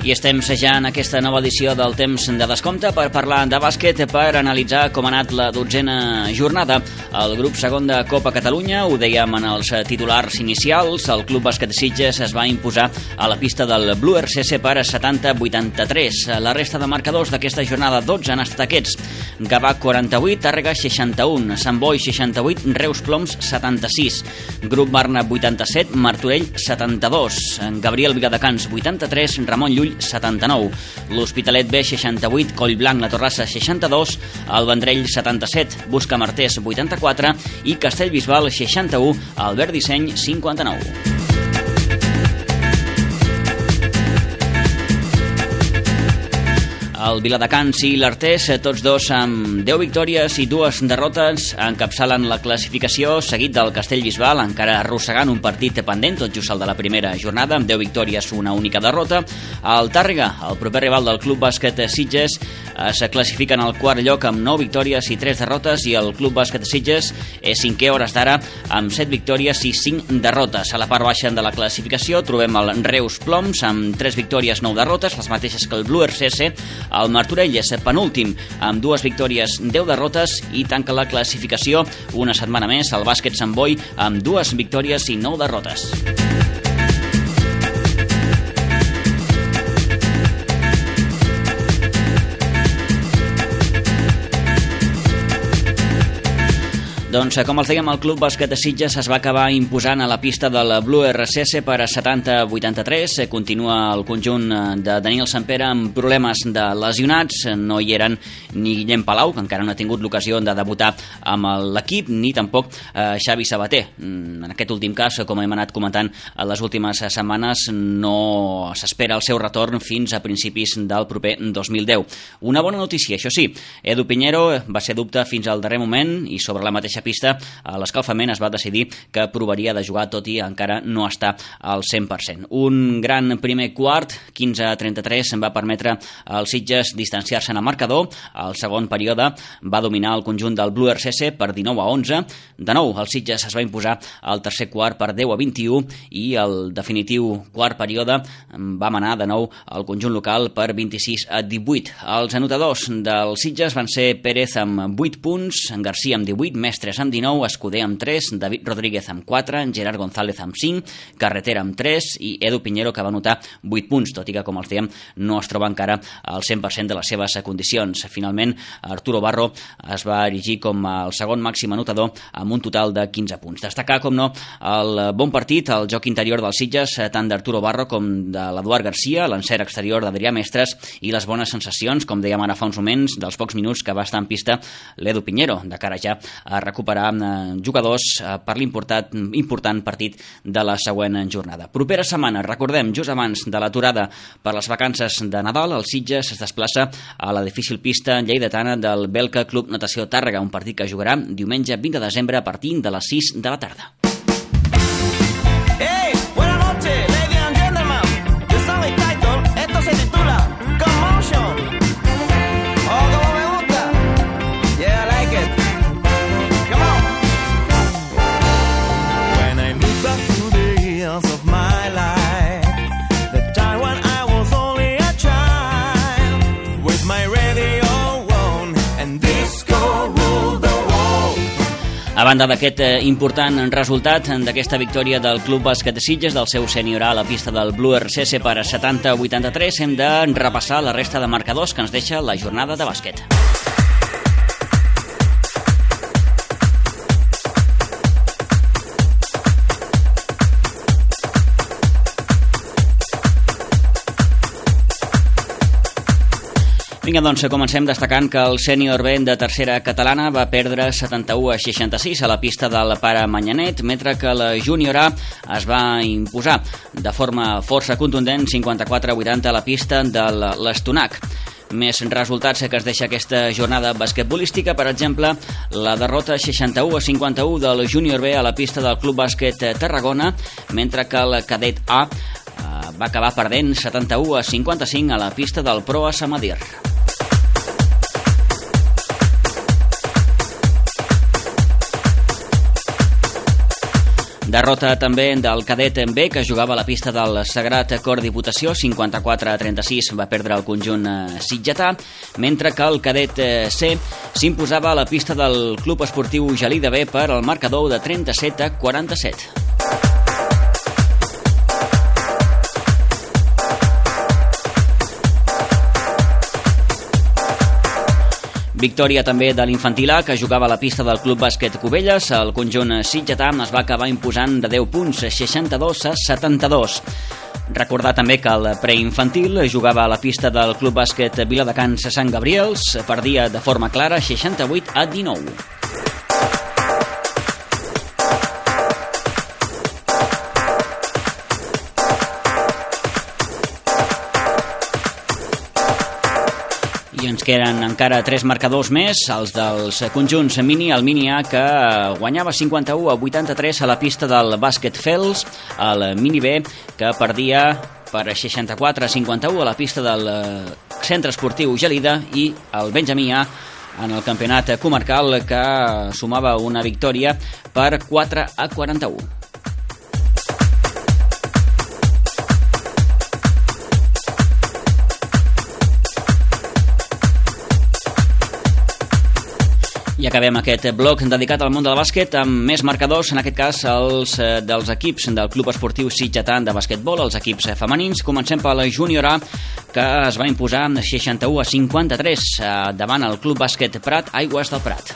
I estem ja en aquesta nova edició del Temps de Descompte per parlar de bàsquet, per analitzar com ha anat la 12a jornada. El grup segon de Copa Catalunya, ho dèiem en els titulars inicials, el Club Bàsquet Sitges es va imposar a la pista del Blu RCS per 70-83. La resta de marcadors d'aquesta jornada 12 han estat aquests: Gavà 48, Tàrrega 61, Sant Boi 68, Reus Ploms 76, Grup Barna 87, Martorell 72, Gabriel Viladecans 83, Ramon Llull 79, l'Hospitalet B 68, Collblanc La Torrassa 62, el Vendrell 77, Buscamartés 84 i Castellbisbal 61, Albert Disseny 59. El Viladecans i l'Artés, tots dos amb 10 victòries i 2 derrotes, encapçalen la classificació, seguit del Castellbisbal, encara arrossegant un partit pendent, tot just el de la primera jornada, amb 10 victòries, una única derrota. El Tàrrega, el proper rival del Club Bàsquet Sitges, es classifica en el quart lloc amb 9 victòries i 3 derrotes, i el Club Bàsquet Sitges és cinquè a hores d'ara amb 7 victòries i 5 derrotes. A la part baixa de la classificació trobem el Reus Ploms amb 3 victòries, 9 derrotes, les mateixes que el Blu RCS. El Martorell és penúltim amb 2 victòries, 10 derrotes, i tanca la classificació una setmana més el Bàsquet Sant Boi amb 2 victòries i 9 derrotes. Doncs, com els dèiem, el Club Bàsquet de Sitges es va acabar imposant a la pista del Blu RCS per 70-83. Continua el conjunt de Daniel Sampere amb problemes de lesionats. No hi eren ni Guillem Palau, que encara no ha tingut l'ocasió de debutar amb l'equip, ni tampoc Xavi Sabater. En aquest últim cas, com hem anat comentant a les últimes setmanes, no s'espera el seu retorn fins a principis del proper 2010. Una bona notícia, això sí, Edu Piñero va ser dubte fins al darrer moment, i sobre la mateixa pista a l'escalfament es va decidir que provaria de jugar, tot i encara no està al 100%. Un gran primer quart, 15-33, va permetre als Sitges distanciar-se en el marcador. El segon període va dominar el conjunt del Blu RCS per 19-11. De nou, el Sitges es va imposar al tercer quart per 10-21, i el definitiu quart període va manar de nou el conjunt local per 26-18. Els anotadors del Sitges van ser Pérez amb 8 punts, Garcia amb 18, Mestre amb 19, Escuder amb 3, David Rodríguez amb 4, Gerard González amb 5, Carretera amb 3 i Edu Piñero, que va anotar 8 punts, tot i que, com els dèiem, no es troba encara al 100% de les seves condicions. Finalment, Arturo Barro es va erigir com el segon màxim anotador amb un total de 15 punts. Destacar, com no, el bon partit, el joc interior dels Sitges, tant d'Arturo Barro com de l'Eduard Garcia, l'encert exterior d'Adrià Mestres, i les bones sensacions, com dèiem ara fa uns moments, dels pocs minuts que va estar en pista l'Edu Piñero, de cara ja a recuperar jugadors per l'important partit de la següent jornada. Propera setmana, recordem, just abans de l'aturada per les vacances de Nadal, el Sitges es desplaça a la difícil pista lleidatana del Belka Club Natació Tàrrega, un partit que jugarà diumenge 20 de desembre a partir de les 6 de la tarda. Hey, buenas noches, ladies and gentlemen. The song is titled, esto se titula Commotion. Oh, como me gusta. Yeah, I like it. Come on. When I look back through the years of my life, the time when I was only a child, with my radio on and disco ruled the world. A banda d'aquest important resultat d'aquesta victòria del Club Bàsquet de Sitges, del seu sènior A a la pista del Blu RCS per 70-83, hem de repassar la resta de marcadors que ens deixa la jornada de bàsquet. Vinga, doncs, comencem destacant que el sènior B de tercera catalana va perdre 71-66 a la pista del Pare Manyanet, mentre que la júnior A es va imposar de forma força contundent 54-80 a la pista de l'Estonac. Més resultats que es deixa aquesta jornada basquetbolística, per exemple, la derrota 61-51 del júnior B a la pista del Club Bàsquet Tarragona, mentre que el cadet A va acabar perdent 71-55 a la pista del Proa Samadir. Derrota també del cadet B, que jugava a la pista del Sagrat Cor Diputació, 54-36 va perdre el conjunt sitgetà, mentre que el cadet C s'imposava a la pista del Club Esportiu Gelida B per al marcador de 37-47. Victòria també de l'infantil A, que jugava a la pista del Club Bàsquet Cubelles. El conjunt sitgetà es va acabar imposant de 10 punts, 62-72. Recordar també que el preinfantil jugava a la pista del Club Bàsquet Viladecans Sant Gabriels, perdia de forma clara 68-19. I ens queden encara 3 marcadors més, els dels conjunts mini, el mini A, que guanyava 51-83 a la pista del Bàsquet Fels, el mini B, que perdia per 64-51 a la pista del Centre Esportiu Gelida, i el Benjamí A en el campionat comarcal, que sumava una victòria per 4-41. I acabem aquest bloc dedicat al món del bàsquet amb més marcadors, en aquest cas els dels equips del Club Esportiu Sitgetà de bàsquetbol, els equips femenins. Comencem pel júnior A, que es va imposar 61-53 davant el Club Bàsquet Prat, Aigües del Prat.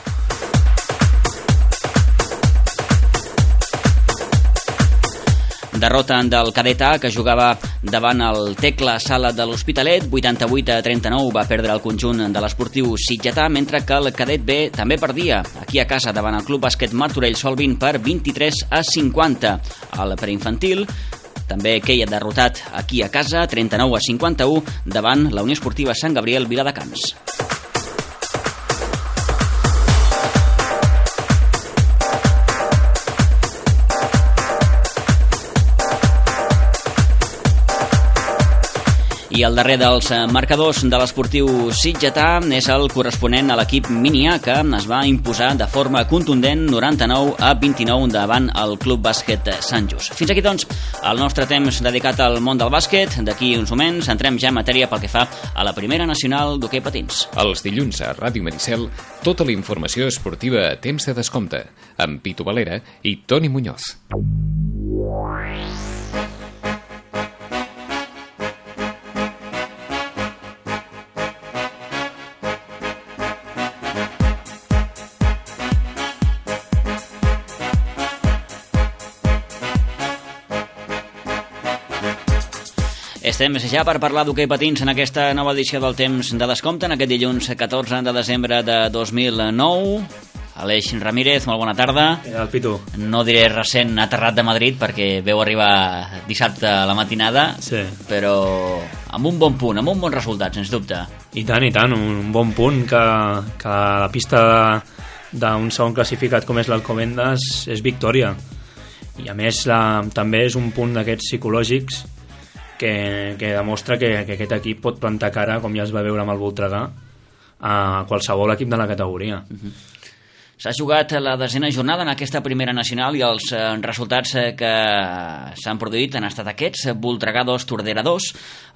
Derrota del cadet A, que jugava davant el Tecla Sala de l'Hospitalet, 88-39 va perdre el conjunt de l'esportiu sitgetà, mentre que el cadet B també perdia aquí a casa davant el Club Bàsquet Martorell Solvin per 23-50. El preinfantil també queia derrotat aquí a casa, 39-51 davant la Unió Esportiva Sant Gabriel Viladecans. I el darrer dels marcadors de l'esportiu sitgetà és el corresponent a l'equip mini A, que es va imposar de forma contundent 99-29 davant el Club Bàsquet Sant Just. Fins aquí, doncs, el nostre temps dedicat al món del bàsquet. D'aquí uns moments entrem ja en matèria pel que fa a la primera nacional d'hoquei patins. Els dilluns a Ràdio Maricel, tota la informació esportiva a temps de descompte, amb Pitu Valera i Toni Muñoz. Estem ja per parlar d'hoquei patins en aquesta nova edició del Temps de Descompte, en aquest dilluns 14 de desembre de 2009. Aleix Ramírez, molt bona tarda. El Pitu. No diré recent aterrat de Madrid, perquè veu arribar dissabte a la matinada, sí, però amb un bon punt, amb un bon resultat, sens dubte. I tant, un bon punt que la pista d'un segon classificat com és l'Alcobendas és victòria. I a més també és un punt d'aquests psicològics que demostra que aquest equip pot plantar cara, com ja es va veure amb el Voltregà, a qualsevol equip de la categoria. S'ha jugat la 10ª jornada en aquesta primera nacional i els resultats que s'han produït han estat aquests: Voltregà 2, Tordera 2,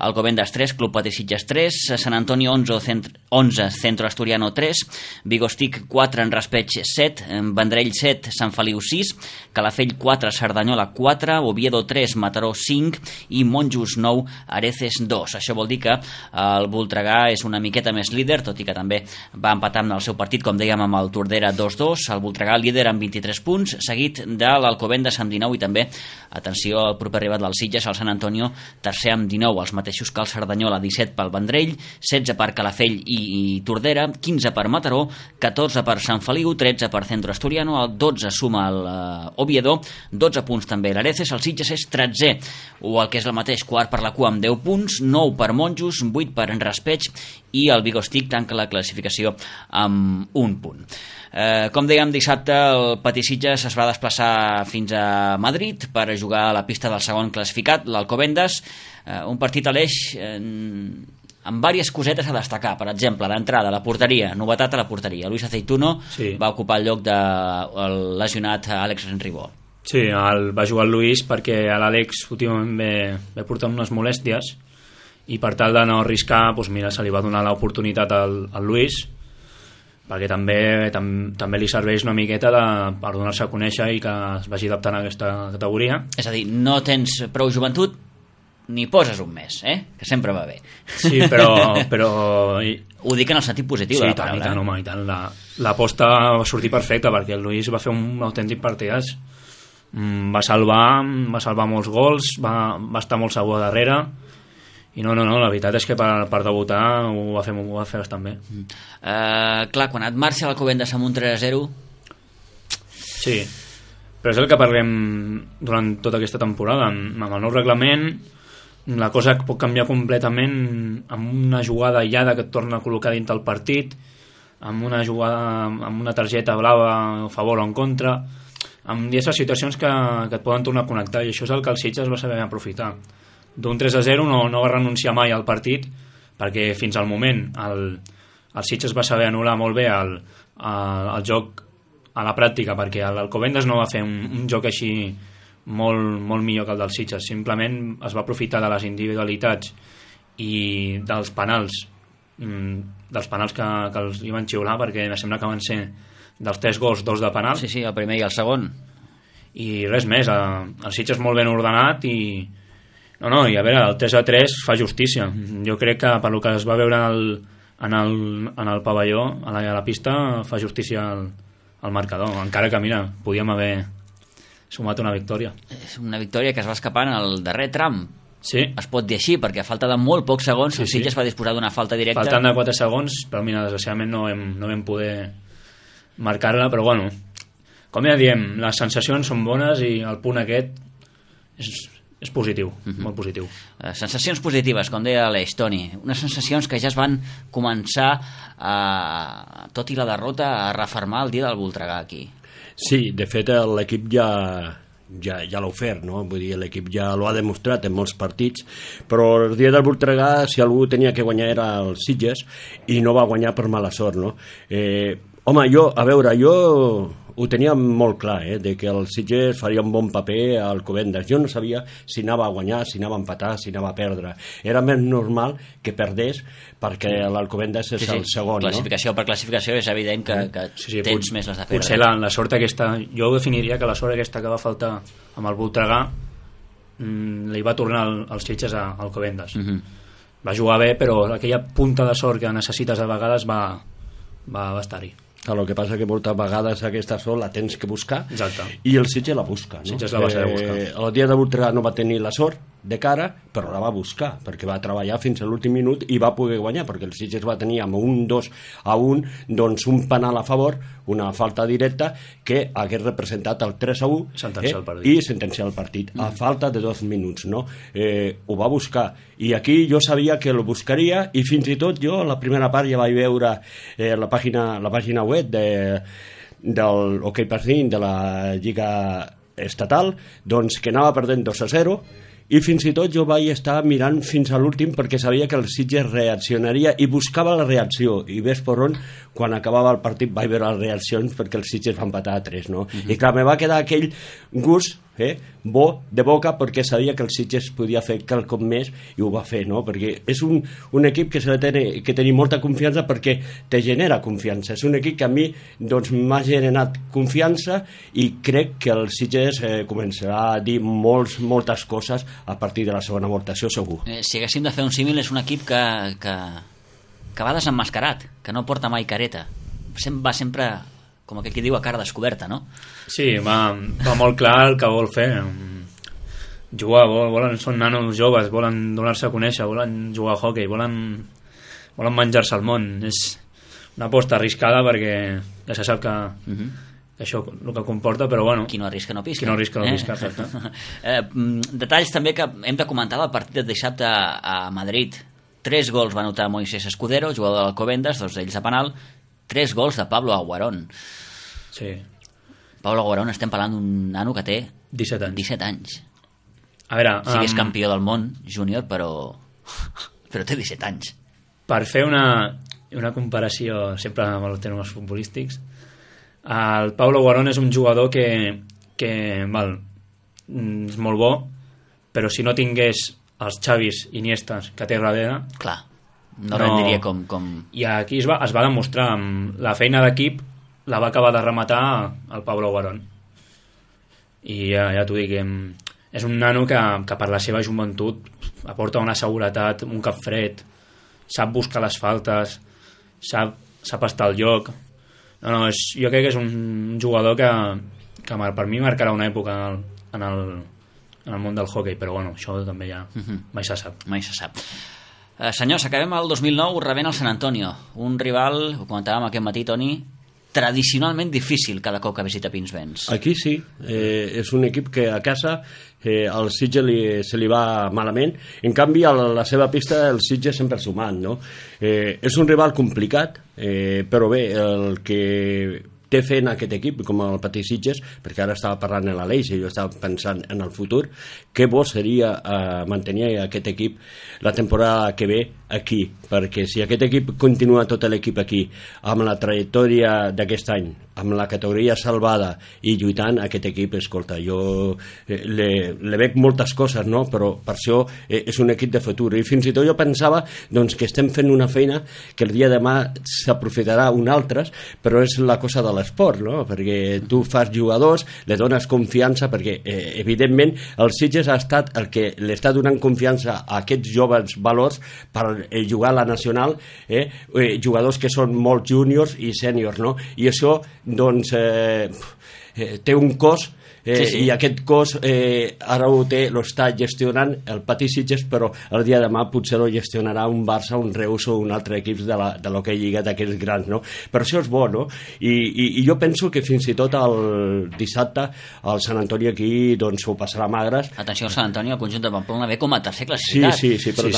Alcobendas 3, Club Patí Sitges 3, Sant Antonio 11, Centro Asturiano 3, Vigostic 4, en Raspeig 7, Vendrell 7, Sant Feliu 6, Calafell 4, Cerdanyola 4, Oviedo 3, Mataró 5 i Monjos 9, Areces 2. Això vol dir que el Voltregà és una miqueta més líder, tot i que també va empatar amb el seu partit, com dèiem, amb el Tordera 2-2, el Voltregà líder amb 23 punts, seguit de l'Alcobendas amb 19 i també, atenció, el proper rival del Sitges, el Sant Antonio, tercer amb 19, els mateixos que el Cerdanyola, 17 pel Vendrell, 16 per Calafell i Tordera, 15 per Mataró, 14 per Sant Feliu, 13 per Centro Asturiano, el 12 suma l'Oviedo, 12 punts també l'Areces, el Sitges és 13, o el que és el mateix, quart per la cua amb 10 punts, 9 per Monjos, 8 per Raspeig i el Vigostic tanca la classificació amb un punt. Com dèiem, dissabte el Patí Sitges es va desplaçar fins a Madrid per jugar a la pista del segon classificat, l'Alcobendas, un partit a l'Eix amb diverses cosetes a destacar. Per exemple, d'entrada, la porteria, novetat a la porteria. Luis Aceituno va ocupar el lloc del lesionat Àlex Ribó. Sí, va jugar el Luis perquè l'Àlex últimament ve portant unes molèsties i per tal de no arriscar, doncs mira, se li va donar l'oportunitat al Luis, perquè també li serveix una miqueta per donar-se a conèixer i que es vagi adaptant a aquesta categoria. És a dir, no tens prou joventut, ni poses un mes, que sempre va bé. Sí, però... Ho dic en el sentit positiu de la paraula. Sí, home, i tant. L'aposta va sortir perfecta perquè el Luis va fer un autèntic partidàs. Va salvar molts gols, va estar molt segur a darrere. I no, la veritat és que per debutar ho va fer bastant bé. Clar, quan et marxa l'Alcobendas amb un 3-0... Sí, però és el que parlem durant tota aquesta temporada. Amb el nou reglament, la cosa pot canviar completament amb una jugada aïllada que et torna a col·locar dintre el partit, amb una jugada amb una targeta blava a favor o en contra, amb diverses situacions que et poden tornar a connectar, i això és el que el Sitges va saber aprofitar. D'un 3-0 no va renunciar mai al partit, perquè fins al moment el Sitges va saber anul·lar molt bé el joc a la pràctica, perquè l'Alcobendas no va fer un joc així molt millor que el del Sitges. Simplement es va aprofitar de les individualitats i dels penals que els hi van xiular, perquè em sembla que van ser dels 3 gols, 2 de penal. Sí, el primer i el segon. I res més, el Sitges molt ben ordenat i i a veure, el 3-3 fa justícia. Jo crec que per lo que es va veure en el pavelló, a la pista, fa justícia al marcador, encara que mira, podíem haver sumat una victòria. És una victòria que es va escapar en el darrer tram. Sí. Es pot dir així, perquè a falta de molt pocs segons el Sitges va disposar d'una falta directa. Faltant de 4 segons, però mira, desgraciadament no vam poder marcar-la, però bueno, com ja diem, les sensacions són bones i el punt aquest és positiu, molt positiu. Sensacions positives, com deia l'Eix, Toni. Unes sensacions que ja es van començar, tot i la derrota, a refermar el dia del Voltregà aquí. Sí, de fet l'equip ja l'ha ofert, no? Vull dir, l'equip ja l'ha demostrat en molts partits, però el dia del Voltregà, si algú tenia que guanyar era el Sitges, i no va guanyar per mala sort, no? Home, jo ho tenia molt clar, de que el Sitges faria un bon paper al Alcobendas. Jo no sabia si anava a guanyar, si anava a empatar, si anava a perdre. Era més normal que perdés, perquè l'Alcobendas és el segon. Classificació per classificació és evident que tens més les de perdre. Potser la sort aquesta, jo definiria que la sort aquesta que va faltar amb el Voltregà li va tornar al Sitges a Alcobendas. Va jugar bé, però aquella punta de sort que necessites a vegades va estar-hi. El que passa que moltes vegades aquesta sort la tens que buscar. Exacte. I el Sitges la busca, no? Sitges la va saber buscar. El dia de Voltregà no va tenir la sort de cara, però la va buscar, perquè va treballar fins a l'últim minut i va poder guanyar, perquè el Sitges va tenir amb un 2-1 doncs un penal a favor, una falta directa que hagués representat el 3-1 i sentenciar el partit a falta de 2 minuts, no? Ho va buscar, i aquí jo sabia que el buscaria, i fins i tot jo la primera part ja vaig veure la pàgina web del Hockey Patín de la Lliga Estatal, doncs que anava perdent 2-0, i fins i tot jo vaig estar mirant fins a l'últim perquè sabia que el Sitges reaccionaria i buscava la reacció, i ves per on quan acabava el partit vaig veure les reaccions perquè el Sitges va empatar a 3, no? I clar, me va quedar aquell gust bo de boca, perquè sabia que el Sitges podia fer quelcom més, i ho va fer, no? Perquè és un equip que s'ha de tenir molta confiança, perquè te genera confiança. És un equip que a mi doncs m'ha generat confiança, i crec que el Sitges començarà a dir moltes coses a partir de la segona volta, això segur. Si haguéssim de fer un símil, és un equip que va desemmascarat, que no porta mai careta, va sempre, com aquell que diu, a cara descoberta, no? Sí, va molt clar el que vol fer. Jugar, són nanos joves, volen donar-se a conèixer, volen jugar a hockey, volen menjar-se al món. És una aposta arriscada, perquè ja se sap que això el que comporta, però bueno, qui no arrisca no pisca. Qui no arrisca no pisca, exacte. Detalls també que hem de comentar del partit de dissabte a Madrid. 3 gols va anotar Moisés Escudero, jugador de l'Alcobendas, 2 d'ells de penal, 3 gols de Pablo Aguarón. Sí. Pablo Guarón, estem parlant d'un nano que té 17 anys. 17 anys. A veure... Sí que és campió del món júnior, però té 17 anys. Per fer una comparació sempre amb els termes futbolístics, el Pablo Guarón és un jugador que és molt bo, però si no tingués els Xavis Iniestas que té darrere... Clar, no rendiria com... I aquí es va demostrar, amb la feina d'equip la va acabar de rematar el Pablo Guarón. I ja t'ho dic, és un nano que per la seva joventut aporta una seguretat, un cap fred, sap buscar les faltes, sap estar al lloc. Jo crec que és un jugador que per mi marcarà una època en el món del hoquei, però bueno, això també ja mai se sap. Mai se sap. Senyors, acabem el 2009 rebent el San Antonio, un rival, ho comentàvem aquest matí, Toni, tradicionalment difícil cada cop que visita Pinsbens. Aquí sí, és un equip que a casa al Sitges se li va malament, en canvi a la seva pista el Sitges sempre sumant, no? És un rival complicat, però bé, el que té fent aquest equip, com el Patí Sitges, perquè ara estava parlant en l'Aleix i jo estava pensant en el futur, que bo seria mantenir aquest equip la temporada que ve aquí, perquè si aquest equip continua tot l'equip aquí, amb la trajectòria d'aquest any, amb la categoria salvada i lluitant, aquest equip, escolta, jo le veig moltes coses, no? Però per això és un equip de futur, i fins i tot jo pensava doncs, que estem fent una feina que el dia de demà s'aprofitarà un altres, però és la cosa de l'esport, no? Perquè tu fas jugadors, li dones confiança, perquè evidentment el Sitges ha estat el que li està donant confiança a aquests joves valors per jugar a la nacional, jugadors que són molt júniors i sèniors, no? I això doncs té un cost, sí. I aquest cost ara ho està gestionant el Patí Sitges, però el dia de demà potser ho gestionarà un Barça, un Reus o un altre equip de l'hoquei lliga d'aquests grans, no? Per això és bo, no? I jo penso que fins i tot el dissabte el Sant Antoni aquí doncs ho passarà magres. Atenció al Sant Antoni, el conjunt de Pamplona ve com a tercer classificat. Sí, però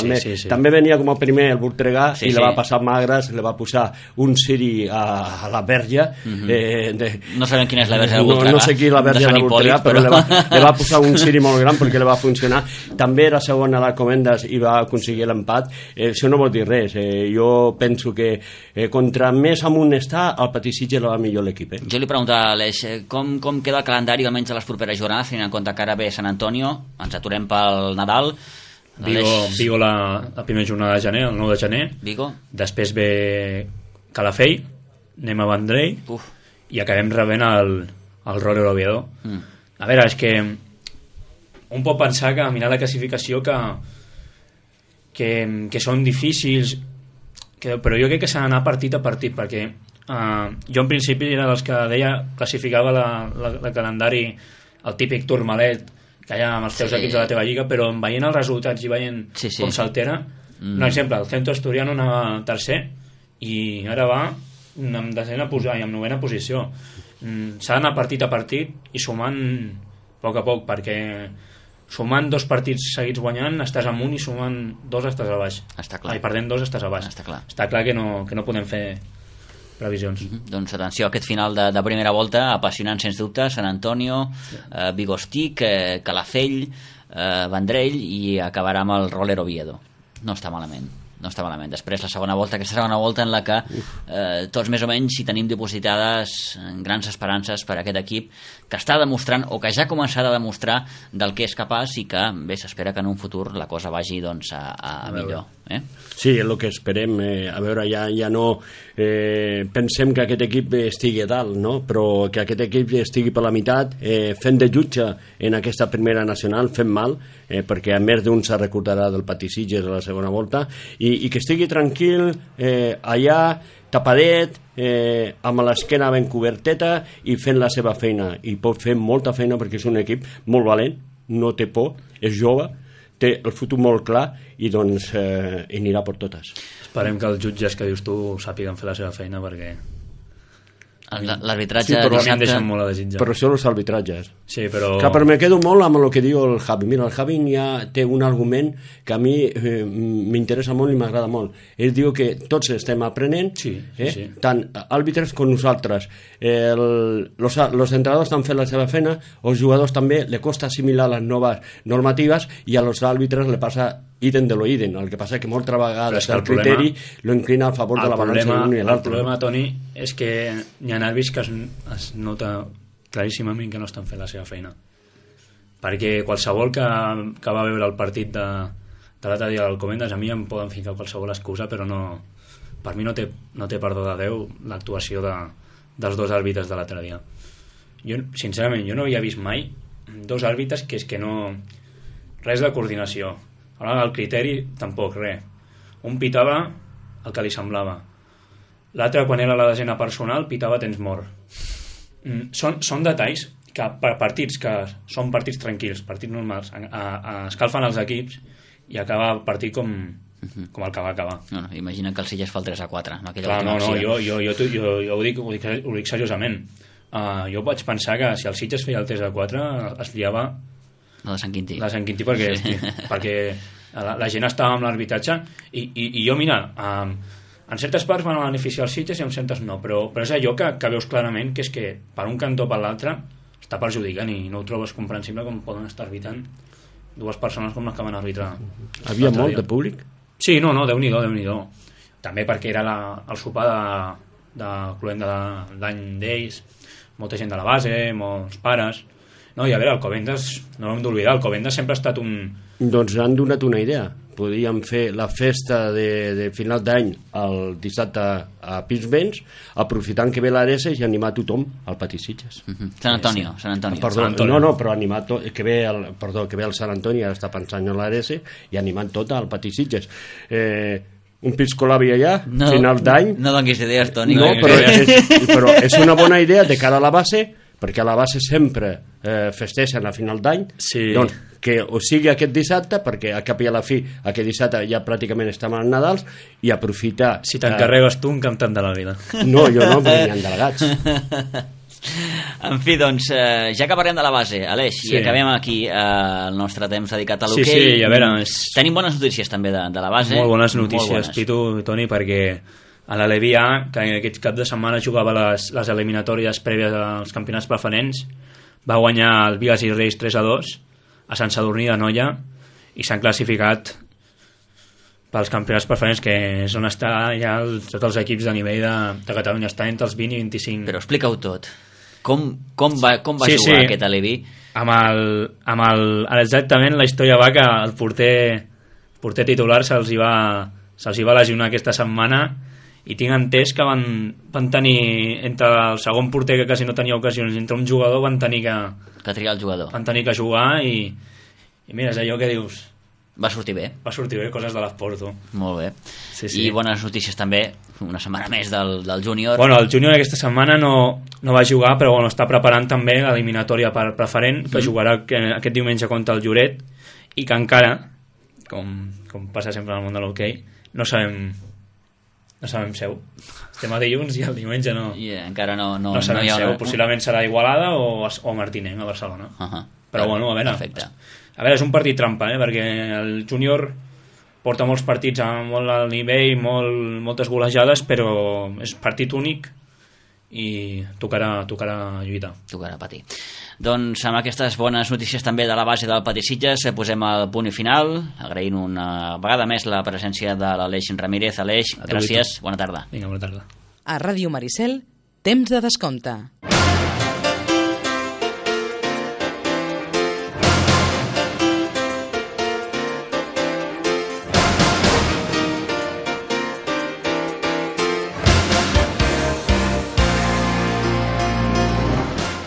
també venia com a primer el Voltregà i la va passar magres, le va posar un Siri a la Verge. No sabem quina és la Verge del Voltregà. No sé qui la Verge del Voltregà, però le va posar un Siri molt gran perquè le va funcionar. També era segon a l'Alcobendas i va aconseguir l'empat. Això no vol dir res. Jo penso que contra més amunt està, el Patí Sitges va millor l'equip. Jo li preguntava a Aleix, com queda el calendari almenys a les properes jornades, tenint en compte que ara ve Sant Antonio, ens aturem pel Nadal. Vigo la primera jornada de gener, el 9 de gener. Vigo. Després ve Calafell, anem a Vendrell i acabem rebent el Roller Oviedo. A veure, és que un pot pensar que mirar la classificació que són difícils, però jo crec que s'ha d'anar partit a partit, perquè jo en principi era dels que deia, classificava el calendari, el típic turmalet que hi ha amb els teus equips de la teva lliga, però veient els resultats i veient com s'altera, un exemple, el Centro Asturiano anava tercer i ara va amb desena i amb novena posició. S'ha d'anar partit a partit i sumant a poc, perquè sumant 2 partits seguits guanyant estàs amunt i sumant 2 estàs a baix. Està clar. I perdent 2 estàs a baix. Està clar que no podem fer previsions. Doncs atenció a aquest final de primera volta, apassionant sens dubte, Sant Antonio, Vigostic, Calafell, Vendrell, i acabarà amb el Roller Oviedo. No està malament. Després la segona volta, aquesta segona volta en la que tots més o menys hi tenim dipositades grans esperances per a aquest equip que està demostrant, o que ja començarà a demostrar del que és capaç, i que bé, s'espera que en un futur la cosa vagi doncs a millor. Sí, és el que esperem. A veure, ja no pensem que aquest equip estigui a dalt, no? Però que aquest equip estigui per la meitat, fent de jutge en aquesta primera nacional, fent mal, perquè a més d'un se recordarà del Patí Sitges a la segona volta, i que estigui tranquil allà, tapadet, amb l'esquena ben coberteta i fent la seva feina, i pot fer molta feina perquè és un equip molt valent, no té por, és jove, té el futur molt clar i doncs hi anirà per totes. Esperem que els jutges que dius tu sàpiguen fer la seva feina, perquè L'arbitratge però a mi em dissabte... deixen molt a desitjar. Però això els arbitratges. Sí, però... Que per me quedo molt amb el que diu el Javi. Mira, el Javi té un argument que a mi m'interessa molt i m'agrada molt. Ell diu que tots estem aprenent, Sí. tant àrbitres com nosaltres. Los entrenadors estan fent la seva feina, als jugadors també li costa assimilar les noves normatives i a los àrbitres li passa idem de lo idem. El que passa és que moltes vegades el criteri lo inclina a favor de la balança d'un i El l'altre. problema, Toni, és que hi ha àrbits que es nota claríssimament que no estan fent la seva feina. Perquè qualsevol que va veure el partit de l'altre dia del Comendas, a mi em poden ficar qualsevol excusa, però no, per mi no té perdó de Déu l'actuació dels dos àrbitres de l'altre dia. Sincerament, jo no havia vist mai dos àrbitres que és que no... Res de coordinació. A l'hora del criteri, tampoc, res. Un pitava el que li semblava. L'altre, quan era la desena personal, pitava temps mort. Són detalls que per partits que són partits tranquils, partits normals, escalfen els equips i acaba el partit com el que va acabar. No, imagina que el Sitges fa el 3-4 amb aquella Clar, última acció. jo ho dic seriosament. Jo vaig pensar que si el Sitges feia el 3-4 es liava No, de Sant Quintí. la Sant Quintí perquè la gent estava amb l'arbitratge i jo, mira, en certes parts van beneficiar els Sitges i en certes no, però és allò que veus clarament que és que per un cantó o per l'altre està perjudicant i no ho trobes comprensible com poden estar arbitrant dues persones com les que van arbitrar. Havia molt de públic? Sí, no, Déu-n'hi-do. També perquè era el sopar de cloenda d'any d'ells, molta gent de la base, molts pares. No, i a veure, el Covendas, no hem d'oblidar, el Covendas sempre ha estat un... Doncs han donat una idea. Podíem fer la festa de final d'any el dissabte a Pinsbens, aprofitant que ve l'Areses i animar tothom al Pati Sitges. Sant Antonio. Perdó, no, però animar que ve el Sant Antoni, ara està pensant en l'Areses, i animant tot al Pati Sitges. Un piscolavi allà, final d'any... No donis idees, Toni. No, però és una bona idea de cara a la base, perquè a la base sempre festeixen a final d'any, Sí. doncs que o sigui aquest dissabte, perquè a cap i a la fi aquest dissabte ja pràcticament estem als Nadals, i aprofitar... Si t'encarregues tu un cantant de la vida. No, jo no, perquè n'hi ha delegats. En fi, doncs, ja que parlem de la base, Aleix, Sí. i acabem aquí el nostre temps dedicat a l'hoquei. Sí, a veure... Tenim bones notícies també de la base. Molt bones notícies, Pitu i Toni, perquè a la Levi A, que aquest cap de setmana jugava les eliminatòries prèvies als campionats preferents, va guanyar el Vigas i Reis 3-2 a Sant Sadurní d'Anoia i s'han classificat pels campionats preferents, que és on està ja tots els equips de nivell de Catalunya. Està entre els 20 i 25. Però explica-ho tot. Com va jugar aquest Alevi? Exactament, la història va que el porter titular se'ls hi va lesionar aquesta setmana i tinc entès que van tenir, entre el segon porter que quasi no tenia ocasions, entre un jugador van tenir Que triar el jugador. van tenir que jugar i mira, és allò que dius, Va sortir bé. va sortir bé, coses de l'esport, tu. Molt bé. Sí, sí. I bones notícies també, una setmana més del júnior. Bueno, el júnior aquesta setmana no va jugar, però bueno, està preparant també l'eliminatòria per preferent, que jugarà aquest diumenge contra el Lloret, i que encara, com passa sempre en el món de l'hoquei, no sabem seu. Estem a dilluns i el diumenge no encara no sabem hi ha seu. Possiblement serà Igualada o Martinenc, a Barcelona. Però bueno, a veure. Perfecte. A veure, és un partit trampa, perquè el júnior porta molts partits a molt alt nivell, moltes golejades, però és partit únic i tocarà lluitar. Tocarà patir. Doncs amb aquestes bones notícies també de la base del Pati Sitges posem el punt i final, agraint una vegada més la presència de l'Aleix Ramírez. Aleix, gràcies, bona tarda. Vinga, bona tarda. A Ràdio Maricel, temps de descompte.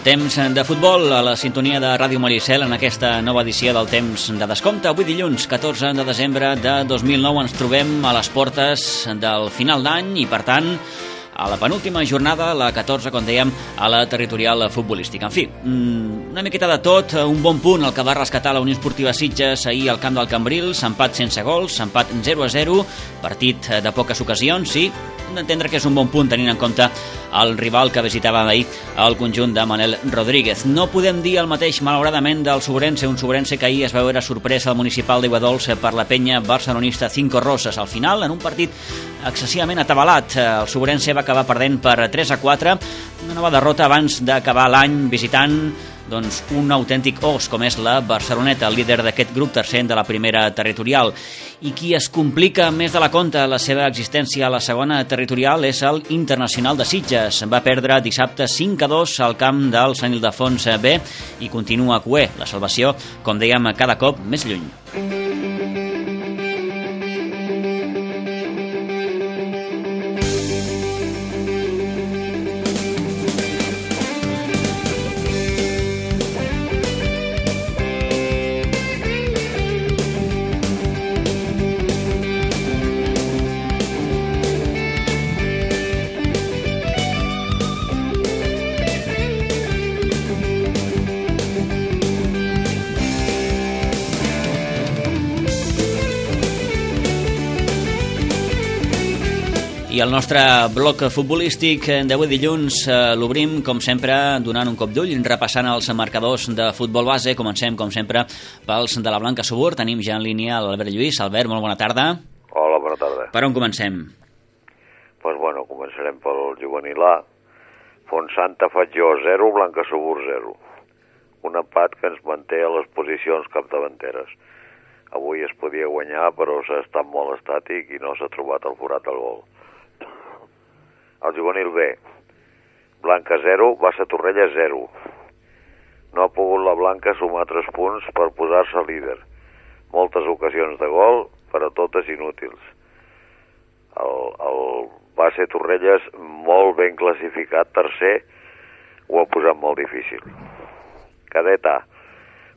Temps de futbol a la sintonia de Ràdio Maricel en aquesta nova edició del Temps de Descompte. Avui dilluns, 14 de desembre de 2009, ens trobem a les portes del final d'any i, per tant, a la penúltima jornada, la 14, com dèiem, a la territorial futbolística. En fi, una miqueta de tot, un bon punt el que va rescatar la Unió Esportiva Sitges ahir al camp del Cambrils, empat sense gols, empat 0-0, partit de poques ocasions, sí, d'entendre que és un bon punt tenint en compte el rival que visitava ahir el conjunt de Manel Rodríguez. No podem dir el mateix, malauradament, del Sobrense, un Sobrense que ahir es va veure sorpresa al municipal d'Iguadols per la penya barcelonista Cinco Roses. Al final, en un partit excessivament atabalat, el Sobrense va acabar perdent per 3-4, una nova derrota abans d'acabar l'any visitant un autèntic os, com és la Barceloneta, el líder d'aquest grup tercer de la primera territorial. I qui es complica més de la compte la seva existència a la segona territorial és el Internacional de Sitges. Va perdre dissabte 5-2 al camp del Sant Ildefons B i continua cuer. La salvació, com dèiem, cada cop més lluny. I el nostre bloc futbolístic d'avui dilluns l'obrim, com sempre, donant un cop d'ull, repassant els marcadors de futbol base. Comencem, com sempre, pels de la Blanca Subur. Tenim ja en línia l'Albert Lluís. Albert, molt bona tarda. Hola, bona tarda. Per on comencem? Doncs bueno, començarem pel juvenil A. Fontsanta Fatjó 0, Blanca Subur 0. Un empat que ens manté a les posicions capdavanteres. Avui es podia guanyar, però s'ha estat molt estàtic i no s'ha trobat el forat del gol. El juvenil B, Blanca 0, Bassa Torrella 0. No ha pogut la Blanca sumar 3 punts per posar-se líder. Moltes ocasions de gol, però totes inútils. El Bassa Torrelles, molt ben classificat, tercer, ho ha posat molt difícil. Cadet A,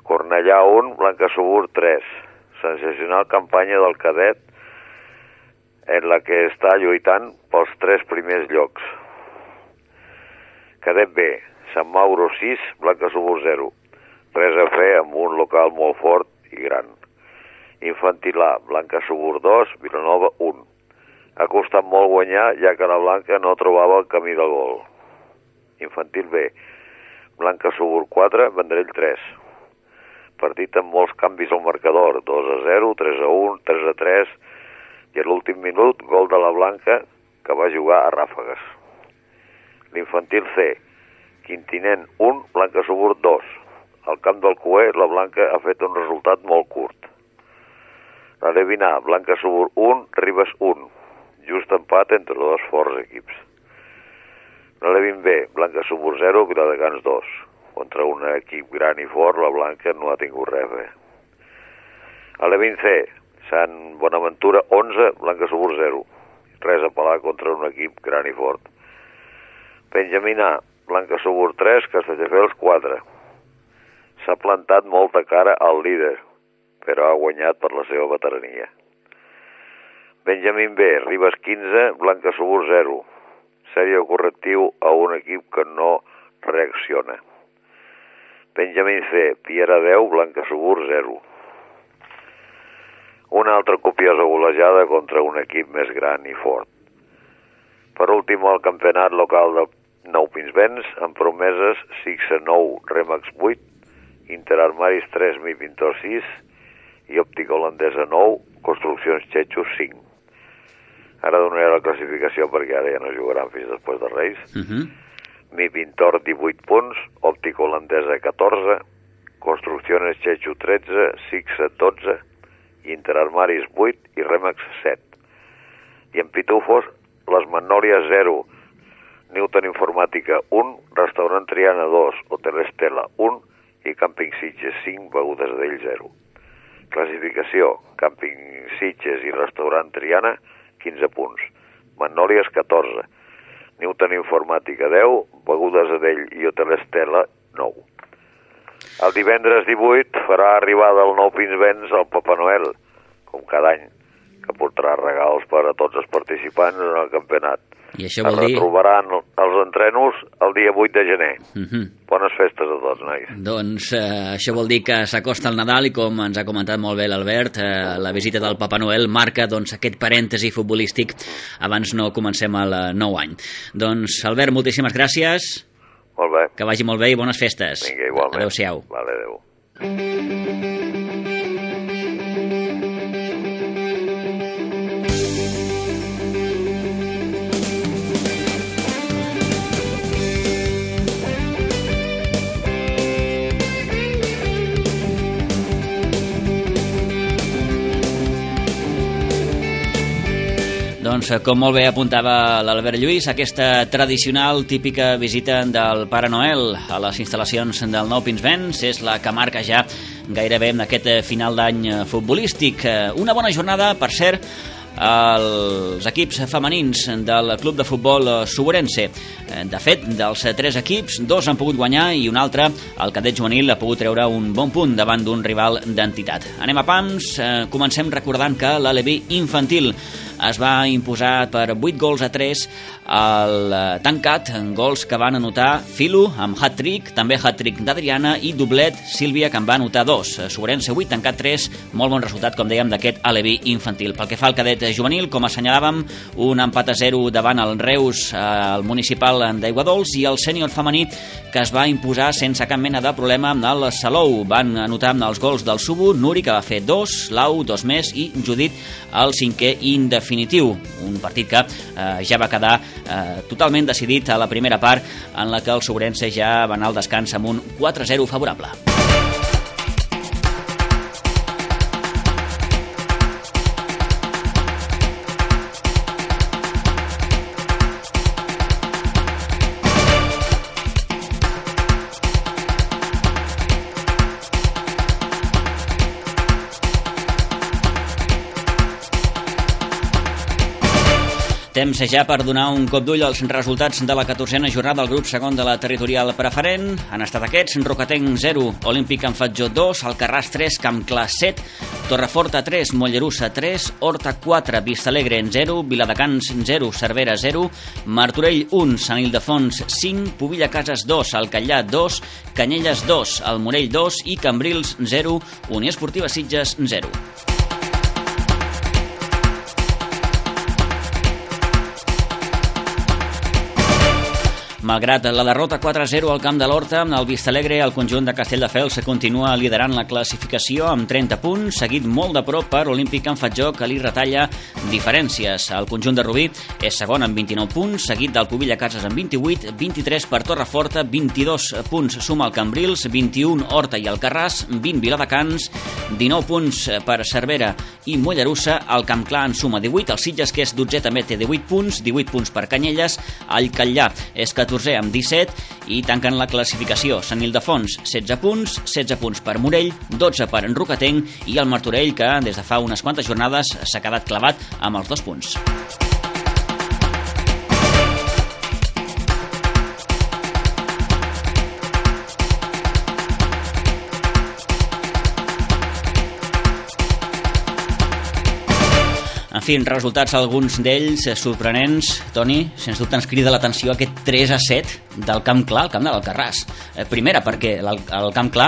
Cornellà 1, Blanca Subur 3. Sensacional campanya del cadet, en la que està lluitant pels 3 primers llocs. Cadet B, Sant Mauro 6, Blanca Subur 0. Res a fer amb un local molt fort i gran. Infantil A, Blanca Subur 2, Vilanova 1. Ha costat molt guanyar, ja que la Blanca no trobava el camí del gol. Infantil B, Blanca Subur 4, Vendrell 3. Partit amb molts canvis al marcador, 2-0, 3-1, 3-3, i a l'últim minut, gol de la Blanca, que va jugar a ràfegues. L'infantil C, Quintinent 1, Blanca Subur 2. Al camp del Cué, la Blanca ha fet un resultat molt curt. La Levin A, Blanca Subur 1, Ribes 1. Just empat entre dos forts equips. La Levin B, Blanca Subur 0, Viladecans 2. Contra un equip gran i fort, la Blanca no ha tingut res bé. A Levin C, Sant Bonaventura 11, Blanca Subur 0. Res a pelar contra un equip gran i fort. Benjamín A, Blanca Subur 3, Castelldefels 4. S'ha plantat molta cara al líder, però ha guanyat per la seva veterania. Benjamín B, Ribes 15, Blanca Subur 0. Sèrie correctiu a un equip que no reacciona. Benjamín C, Piera 10, Blanca Subur 0. Una altra copiosa golejada contra un equip més gran i fort. Per últim, el campionat local de Nou Pinsbens, amb promeses 6-9, Remax 8, Interarmaris 3, Mi Pintor 6 i Òptica Holandesa 9, Construccions Txetxos 5. Ara donaré la classificació perquè ara ja no jugaran fins després de Reis. Mi Pintor 18 punts, Òptica Holandesa 14, Construcciones Txetxo 13, Sixa 12, Interarmaris 8 i Remax 7. I en Pitufos, les Magnòlies 0, Newton Informàtica 1, Restaurant Triana 2, Hotel Estela 1 i Càmping Sitges 5, Begudes d'ell 0. Classificació, Càmping Sitges i Restaurant Triana 15 punts, Magnòlies 14, Newton Informàtica 10, Begudes d'ell i Hotel Estela 9. El divendres 18 farà arribada al Nou Pinsbens el Papa Noel, com cada any, que portarà regals per a tots els participants en el campionat. I això vol dir... Es retrobaran els entrenos el dia 8 de gener. Bones festes a tots, nois. Doncs això vol dir que s'acosta el Nadal i, com ens ha comentat molt bé l'Albert, la visita del Papa Noel marca aquest parèntesi futbolístic abans no comencem el nou any. Doncs, Albert, moltíssimes gràcies. Molt bé. Que vagi molt bé i bones festes. Vinga, igualment. Adéu-siau. Vale, adéu. Doncs, com molt bé apuntava l'Albert Lluís, aquesta tradicional, típica visita del Pare Noel a les instal·lacions del Nou Pinsbens és la que marca ja gairebé en aquest final d'any futbolístic. Una bona jornada, per cert, els equips femenins del club de futbol Suburense. De fet, dels 3 equips, 2 han pogut guanyar i un altre, el cadet juvenil, ha pogut treure un bon punt davant d'un rival d'entitat. Anem a pams, comencem recordant que l'Aleví infantil es va imposar per 8-3 al Tancat, gols que van anotar Filu amb hat-trick, també hat-trick d'Adriana i doblet Sílvia, que en va anotar 2. Suburense 8, Tancat 3, molt bon resultat, com dèiem, d'aquest Aleví infantil. Pel que fa al cadet juvenil, com assenyalàvem, un empat a 0 davant el Reus, al municipal d'Aiguadols, i el sènior femení, que es va imposar sense cap mena de problema amb el Salou. Van anotar els gols del Subu, Nuri, que va fer 2, Lau 2 més, i Judit el 5è indefinitiu. Un partit que ja va quedar totalment decidit a la primera part, en la que el Suburense ja va anar al descans amb un 4-0 favorable. Temps ja per donar un cop d'ull als resultats de la 14a jornada del grup segon de la territorial preferent. Han estat aquests: Rocatenc 0, Olímpic en Fatjó 2, Alcarràs 3, Campclar 7, Torreforta 3, Mollerussa 3, Horta 4, Vistalegre 0, Viladecans 0, Cervera 0, Martorell 1, Sant Ildefons 5, Pobilla Cases 2, Alcallà 2, Canyelles 2, El Morell 2 i Cambrils 0, Unió Esportiva Sitges 0. Malgrat la derrota 4-0 al camp de l'Horta, el Vistalegre, el conjunt de Castelldefels, continua liderant la classificació amb 30 punts, seguit molt de prop per Olímpic en Fatjó, que li retalla diferències. El conjunt de Rubí és segon amb 29 punts, seguit del Pobilla Cases amb 28, 23 per Torreforta, 22 punts suma el Cambrils, 21 Horta i Alcarràs, 20 Viladecans, 19 punts per Cervera i Mollerussa, el Campclar en suma 18, el Sitges, que és 12è, també té 18 punts per Canyelles, el Callà és 14è amb 17 i tanquen la classificació Sant Ildefons 16 punts per Morell, 12 per Rocatenc i el Martorell, que des de fa unes quantes jornades s'ha quedat clavat amb els 2 punts. En fi, resultats alguns d'ells sorprenents. Toni, sens dubte ens crida l'atenció aquest 3-7 del Campclar, al camp de l'Alcarràs. Primera, perquè el Campclar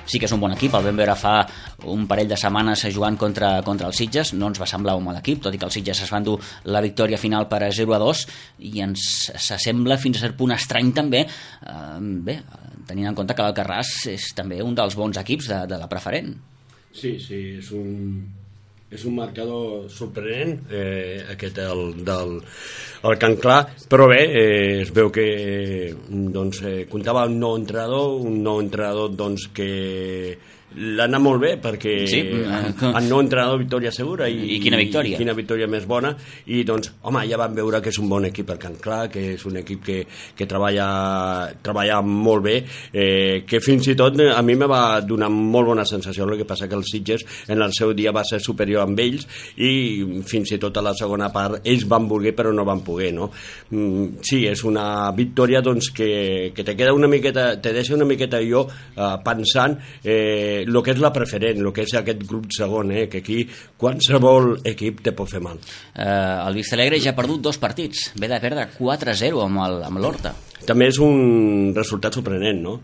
sí que és un bon equip, el vam veure fa un parell de setmanes jugant contra el Sitges, no ens va semblar un mal equip, tot i que el Sitges es van dur la victòria final per 0-2 i ens s'assembla fins a cert punt estrany també, bé, tenint en compte que l'Alcarràs és també un dels bons equips de la preferent. Sí, és un marcador sorprenent, aquest del Campclar, però bé, es veu que doncs, comptava un nou entrenador doncs, que l'ha anat molt bé, perquè sí, el nou entrenador victòria segura i quina victòria. I quina victòria més bona, i doncs, home, ja vam veure que és un bon equip el Campclar, que és un equip que treballa molt bé, que fins i tot a mi me va donar molt bona sensació. El que passa que els Sitges en el seu dia va ser superior amb ells i fins i tot a la segona part ells van voler però no van poder, no? Sí, és una victòria doncs, que te queda una miqueta, te deixa una miqueta jo pensant el que és la preferent, el que és aquest grup segon, que aquí qualsevol equip te pot fer mal. El Vistalegre ja ha perdut 2 partits, ve de perdre 4-0 amb l'Horta. També és un resultat sorprenent, no?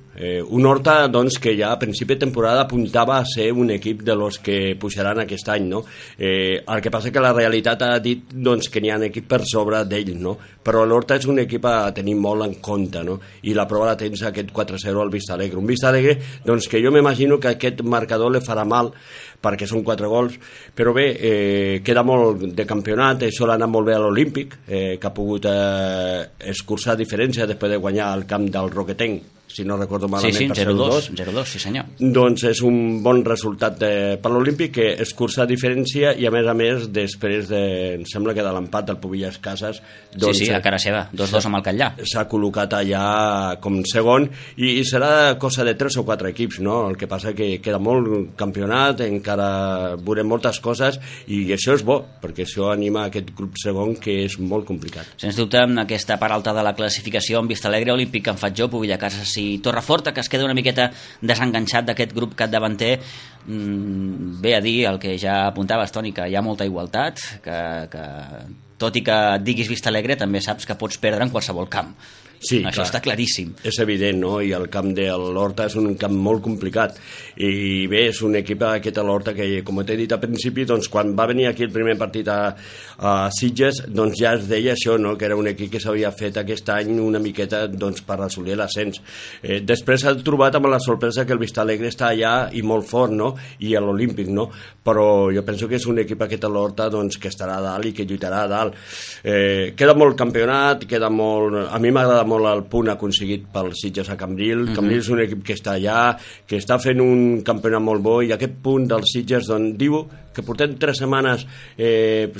Un Horta, doncs, que ja a principi de temporada apuntava a ser un equip de los que pujaran aquest any, no? El que passa que la realitat ha dit, doncs, que n'hi ha equip per sobre d'ell, no? Però l'Horta és un equip a tenir molt en compte, no? I la prova la tens aquest 4-0 al Vistalegre. Un Vistalegre, doncs, que jo m'imagino que aquest marcador li farà mal, perquè són 4 gols, però bé, queda molt de campionat, això l'ha anat molt bé a l'Olímpic, que ha pogut escurçar diferència després de guanyar al camp del Roquetenc, si no recordo malament, sí, per 0-2, sí senyor. Doncs és un bon resultat per l'Olímpic, que escurça diferència i a més després em sembla que de l'empat del Pubillas Casas, doncs, sí, a cara seva, 2-2 amb el Catllà, s'ha col·locat allà com segon i serà cosa de 3 o 4 equips, no? El que passa que queda molt campionat, encara veurem moltes coses i això és bo, perquè això anima aquest grup segon, que és molt complicat. Sens dubte, en aquesta part alta de la classificació, amb Vistalegre, Olímpic, Can Fatjó, Pubillas Casas i Torreforta, que es queda una miqueta desenganxat d'aquest grup capdavanter, ve a dir el que ja apuntaves, Toni, que hi ha molta igualtat, que tot i que diguis Vistalegre també saps que pots perdre en qualsevol camp. Sí, això clar, està claríssim. És evident, no? I el camp de l'Horta és un camp molt complicat. I bé, és un equip aquest a l'Horta que, com t'he dit al principi, doncs, quan va venir aquí el primer partit a Sitges, doncs ja es deia això, no? Que era un equip que s'havia fet aquest any una miqueta, doncs, per assolir l'ascens. Després s'ha trobat amb la sorpresa que el Vistalegre està allà i molt fort, no? I a l'Olímpic, no? Però jo penso que és un equip aquest a l'Horta, doncs, que estarà a dalt i que lluitarà a dalt. Queda molt campionat, queda molt... A mi m'agrada molt el punt aconseguit pel Sitges a Cambrils. Cambrils és un equip que està allà, que està fent un campionat molt bo, i aquest punt del Sitges, doncs, diu que portem 3 setmanes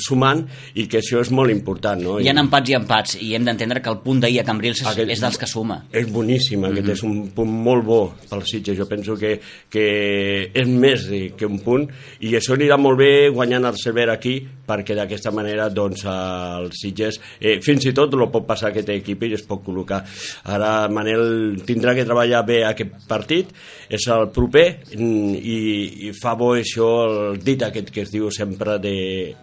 sumant i que això és molt important, no? Hi ha empats i empats, i hem d'entendre que el punt d'ahir a Cambrils és dels que suma. És boníssim, aquest és un punt molt bo pel Sitges. Jo penso que és més que un punt, i això anirà molt bé guanyant el Cervera aquí, perquè d'aquesta manera, doncs, el Sitges fins i tot el pot passar aquest equip i es pot col·locar. Ara Manel tindrà que treballar bé aquest partit, és el proper, i fa bo això, el dit aquest que es diu sempre de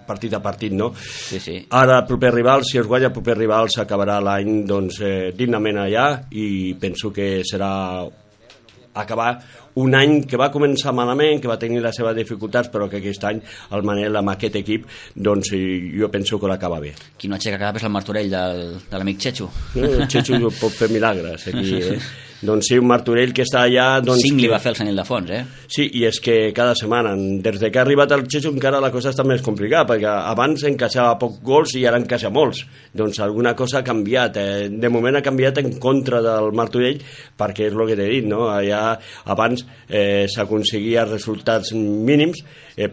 partit a partit, no? Sí, sí. Ara el proper rival, si es guanya el proper rival, s'acabarà l'any, doncs, dignament allà, i penso que serà acabar un any que va començar malament, que va tenir les seves dificultats, però que aquest any el Manel amb aquest equip, doncs jo penso que l'acaba bé. Qui no aixeca cap és el Martorell de l'amic Chechu. El Chechu pot fer milagres aquí, Doncs sí, un Martorell que està allà... Doncs, 5 li va fer el Senil de Fons, Sí, i és que cada setmana, des que ha arribat el Chechu, encara la cosa està més complicada, perquè abans encaixava pocs gols i ara encaixa molts. Doncs alguna cosa ha canviat. De moment ha canviat en contra del Martorell, perquè és el que t'he dit, no? Allà abans s'aconseguia resultats mínims,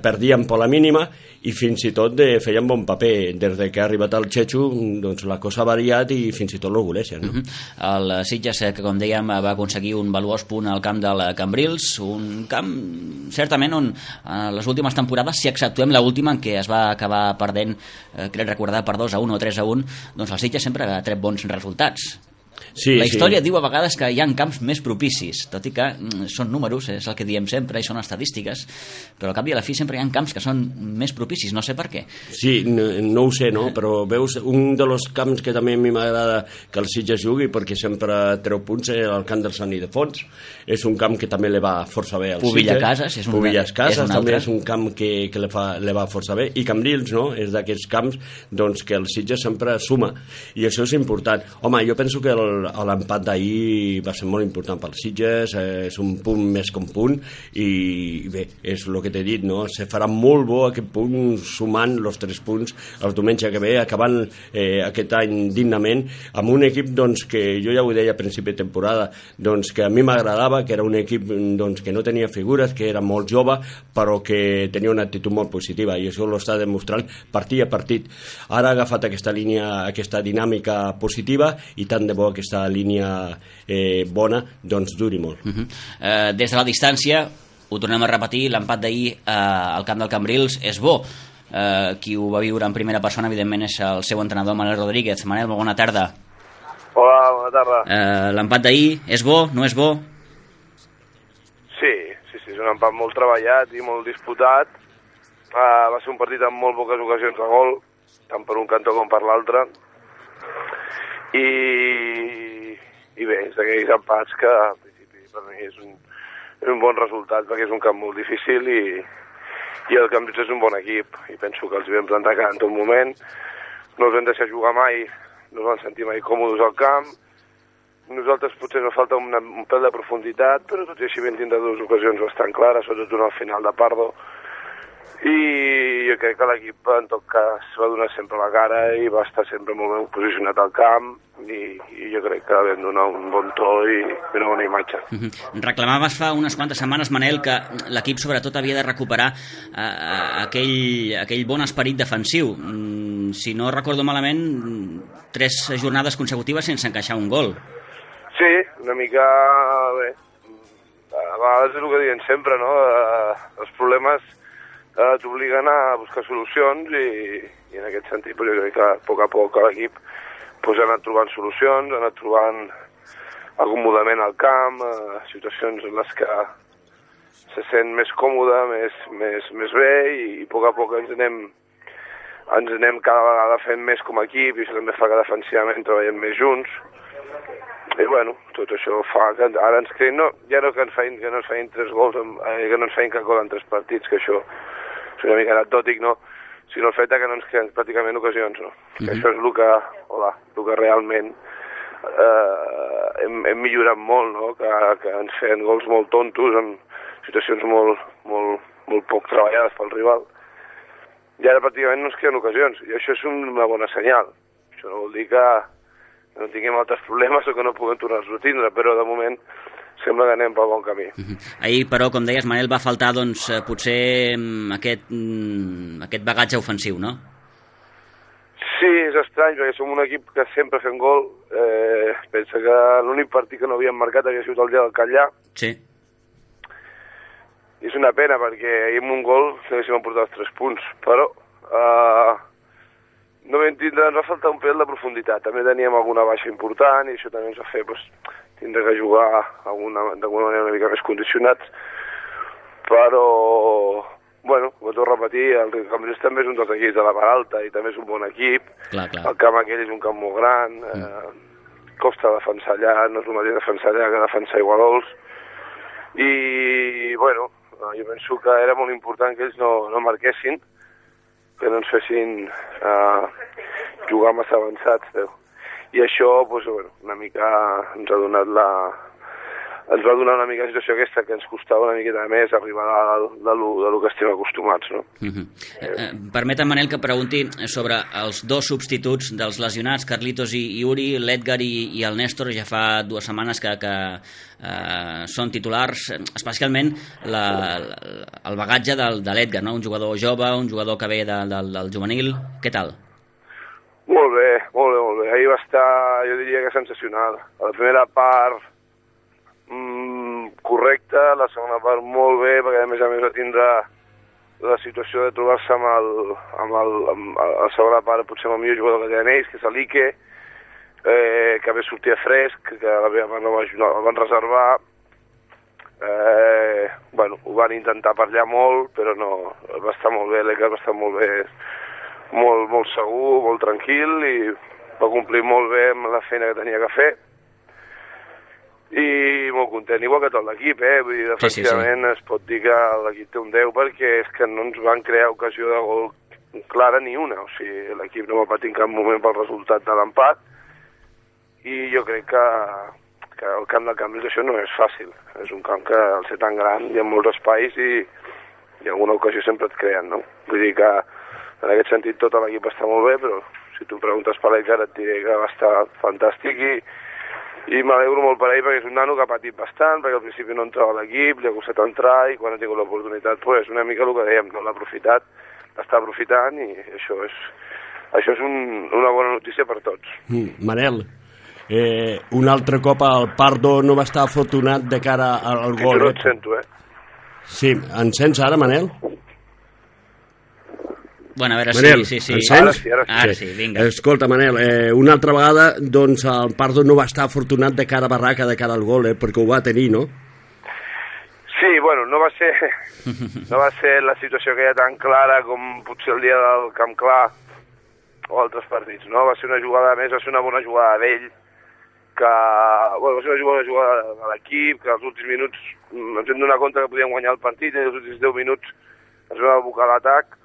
perdien per la mínima, i fins i tot feien bon paper. Des que ha arribat el Chechu, doncs la cosa ha variat i fins i tot l'orgulleixen, no? El Sitges, que com dèiem, va aconseguir un valuós punt al camp del Cambrils, un camp certament on les últimes temporades, si exceptuem l'última en què es va acabar perdent, crec recordar, per 2-1 o 3-1, doncs el Sitges sempre ha tret bons resultats. Sí, la història diu a vegades que hi ha camps més propicis, tot i que són números, és el que diem sempre, i són estadístiques, però al cap i a la fi sempre hi ha camps que són més propicis, no sé per què. Sí, no ho sé, no? Però veus, un dels camps que també a mi m'agrada que el Sitges jugui, perquè sempre treu punts, és el camp del Sant Ildefons. És un camp que també li va força bé al Sitges. Pubillas Casas també és un camp que li va força bé, i Cambrils, no? És d'aquests camps, doncs, que el Sitges sempre suma, i això és important. Home, jo penso que l'empat d'ahir va ser molt important pel Sitges, és un punt més que un punt, i bé, és el que t'he dit, no? Se farà molt bo aquest punt sumant els 3 punts el diumenge que ve, acabant aquest any dignament, amb un equip, doncs, que jo ja ho deia a principi de temporada, doncs, que a mi m'agradava, que era un equip, doncs, que no tenia figures, que era molt jove, però que tenia una actitud molt positiva, i això ho està demostrant partit a partit. Ara ha agafat aquesta línia, aquesta dinàmica positiva, i tant de bo aquesta línia bona, doncs duri molt. Des de la distància, ho tornem a repetir, l'empat d'ahir al camp del Cambrils és bo. Qui ho va viure en primera persona, evidentment, és el seu entrenador, Manel Rodríguez. Manel, bona tarda. Hola, bona tarda. L'empat d'ahir és bo, no és bo? Sí, és un empat molt treballat i molt disputat. Va ser un partit amb molt poques ocasions de gol, tant per un cantó com per l'altre. I bé, és d'aquells empats que al principi per mi és un bon resultat, perquè és un camp molt difícil i el Cambrils és un bon equip, i penso que els vam plantar cara en tot moment, no els vam deixar jugar mai, no els vam sentir mai còmodes al camp. Nosaltres potser ens falta un pèl de profunditat, però tot i així vam tindre dues ocasions bastant clares, sobretot una al final de Pardo, i jo crec que l'equip en tot cas va donar sempre la cara i va estar sempre molt ben posicionat al camp, i jo crec que vam donar un bon to i una bona imatge. Reclamaves fa unes quantes setmanes, Manel, que l'equip sobretot havia de recuperar aquell bon esperit defensiu. Si no recordo malament, 3 jornades consecutives sense encaixar un gol. Sí, una mica bé. A vegades és el que diuen sempre, no? Els problemes t'obliguen a buscar solucions i en aquest sentit jo crec que a poc l'equip ha anat trobant solucions, ha anat trobant acomodament al camp, situacions en les que se sent més còmode, més bé, i a poc ens anem cada vegada fent més com a equip, i això també fa que defensivament treballem més junts. I bueno, tot això fa que ara ens creïn, ja no que no ens feien 3 gols, que no ens feien cap gol en 3 partits, que això és una mica anecdòtic, no? Sinó el fet que no ens creen pràcticament ocasions, no? Que això és el que realment hem millorat molt, no? Que ens feien gols molt tontos en situacions molt poc treballades pel rival. I ara pràcticament no ens creen ocasions, i això és una bona senyal. Això no vol dir que no tinguem altres problemes o que no puguem tornar-los a tindre, però de moment sembla que anem pel bon camí. Ahir, però, com deies, Manel, va faltar doncs, potser aquest bagatge ofensiu, no? Sí, és estrany, perquè som un equip que sempre fem gol. Pensa que l'únic partit que no havíem marcat havia sigut el dia del Catllà. Sí. I és una pena, perquè ahir amb un gol haguéssim portat els 3 punts, però no vam tindre, ens va faltar un pèl de profunditat. També teníem alguna baixa important i això també ens va fer tindre que jugar d'alguna manera una mica més condicionats. Però, bueno, ho torno a repetir, el Cambrils també és un dels equips de la part alta i també és un bon equip. Clar. El camp aquell és un camp molt gran, costa defensar allà, no és el mateix defensar allà que defensar Iguadols. I, bueno, jo penso que era molt important que ells no marquessin, que no ens fessin jugar massa avançats, i això, doncs, bueno, una mica ens va donar una mica la situació aquesta, que ens costava una miqueta més arribar de lo que estem acostumats, no? Permetem, Manel, que pregunti sobre els 2 substituts dels lesionats, Carlitos i Uri, l'Edgar i el Néstor. Ja fa 2 setmanes que són titulars, especialment el bagatge de l'Edgar, no? Un jugador jove, un jugador que ve del juvenil. Què tal? Molt bé. Ahir va estar, jo diria que sensacional. A la primera part correcta, la segona part molt bé, perquè a més va tindre la situació de trobar-se amb la segona part, potser amb el millor jugador que tenen ells, que és l'Ike, que ve sortir fresc, que la meva part no el van reservar. Bueno, ho van intentar per allà molt, però no, va estar molt bé, l'Ike va estar molt bé, molt segur, molt tranquil, i va complir molt bé amb la feina que tenia que fer. I molt content, igual que tot l'equip, vull dir, defensivament es pot dir que l'equip té un 10, perquè és que no ens van crear ocasió de gol clara ni una, o sigui, l'equip no va patir en cap moment pel resultat de l'empat, i jo crec que el camp del Cambrils això no és fàcil, és un camp que al ser tan gran hi ha molts espais i alguna ocasió sempre et creen, no? Vull dir que en aquest sentit tot l'equip està molt bé, però si tu em preguntes per l'Edgar et diré que va estar fantàstic, i m'alegro molt per ell, perquè és un nano que ha patit bastant, perquè al principi no entrava a l'equip, li ha costat entrar, i quan ha tingut l'oportunitat, pues, una mica el que dèiem, no l'ha aprofitat, està aprofitant, i això és una bona notícia per tots. Manel, un altre cop el Pardo no va estar afortunat de cara al gol. Jo no et sento, Sí, em sents ara, Manel? Bueno, a veure, Manel, sí. Ara sí, vinga. Escolta, Manel, una altra vegada, doncs, el Pardo no va estar afortunat de cara a barraca, de cara al gol, perquè ho va tenir, no? Sí, bueno, no va ser la situació que hi ha tan clara com potser el dia del Camp Clar o altres partits, no? Va ser una jugada més, va ser una bona jugada d'ell, que, bueno, va ser una bona jugada de l'equip, que als últims minuts ens hem donat compte que podíem guanyar el partit, i als últims 10 minuts ens vam abocar l'atac,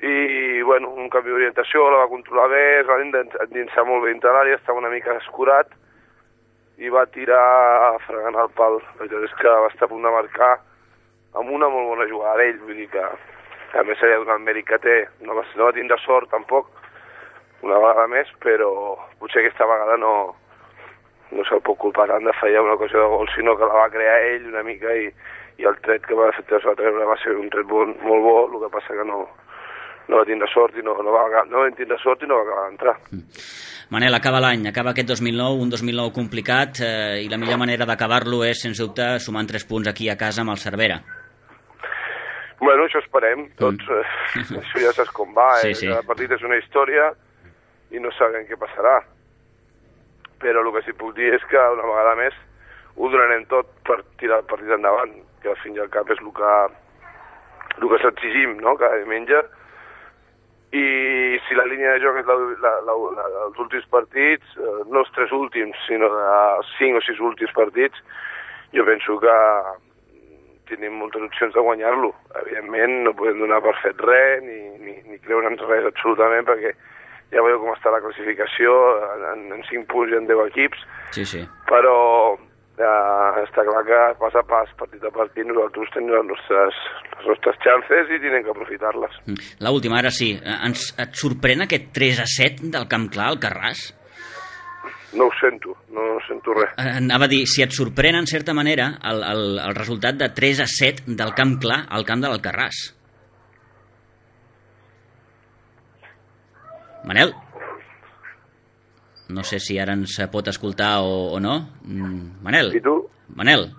i, bueno, un canvi d'orientació, la va controlar bé, es va endinsar molt bé dintre l'àrea, estava una mica escurat, i va tirar fregant el pal. La veritat és que va estar a punt de marcar amb una molt bona jugada d'ell, vull dir que a més s'ha donat el mèrit que té, no va tindre sort tampoc, una vegada més, però potser aquesta vegada no se'l pot culpar tant de fallar una ocasió de gol, sinó que la va crear ell una mica i el tret que va treure va ser un tret molt bo, el que passa que no va tindre sort i no va acabar d'entrar. Manel, acaba l'any, acaba aquest 2009, un 2009 complicat, i la millor manera d'acabar-lo és, sens dubte, sumant 3 punts aquí a casa amb el Cervera. Bueno, això esperem, tots, això ja saps com va, sí. Cada partit és una història i no sabem què passarà. Però el que sí puc dir és que una vegada més ho donarem tot per tirar el partit endavant, que al fin i al cap és el que s'exigim, no?, cada diumenge. I si la línia de joc és els últims partits, no els 3 últims, sinó els 5 o 6 últims partits, jo penso que tenim moltes opcions de guanyar-lo. Evidentment no podem donar per fet res, ni creure'ns res absolutament, perquè ja veieu com està la classificació, en 5 punts hi ha 10 equips, sí. Però està clar que pas a pas, partit a partit, nosaltres tenim les nostres chances i tenim que aprofitar-les. L'última, ara sí. Et sorprèn aquest 3-7 del Camp Clar al Carràs? No ho sento, no sento res. Anava a dir, si et sorprèn en certa manera el resultat de 3-7 del Camp Clar al camp de l'Alcarràs. Manel? No sé si ara ens pot escoltar o no. Manel? I tu? Manel?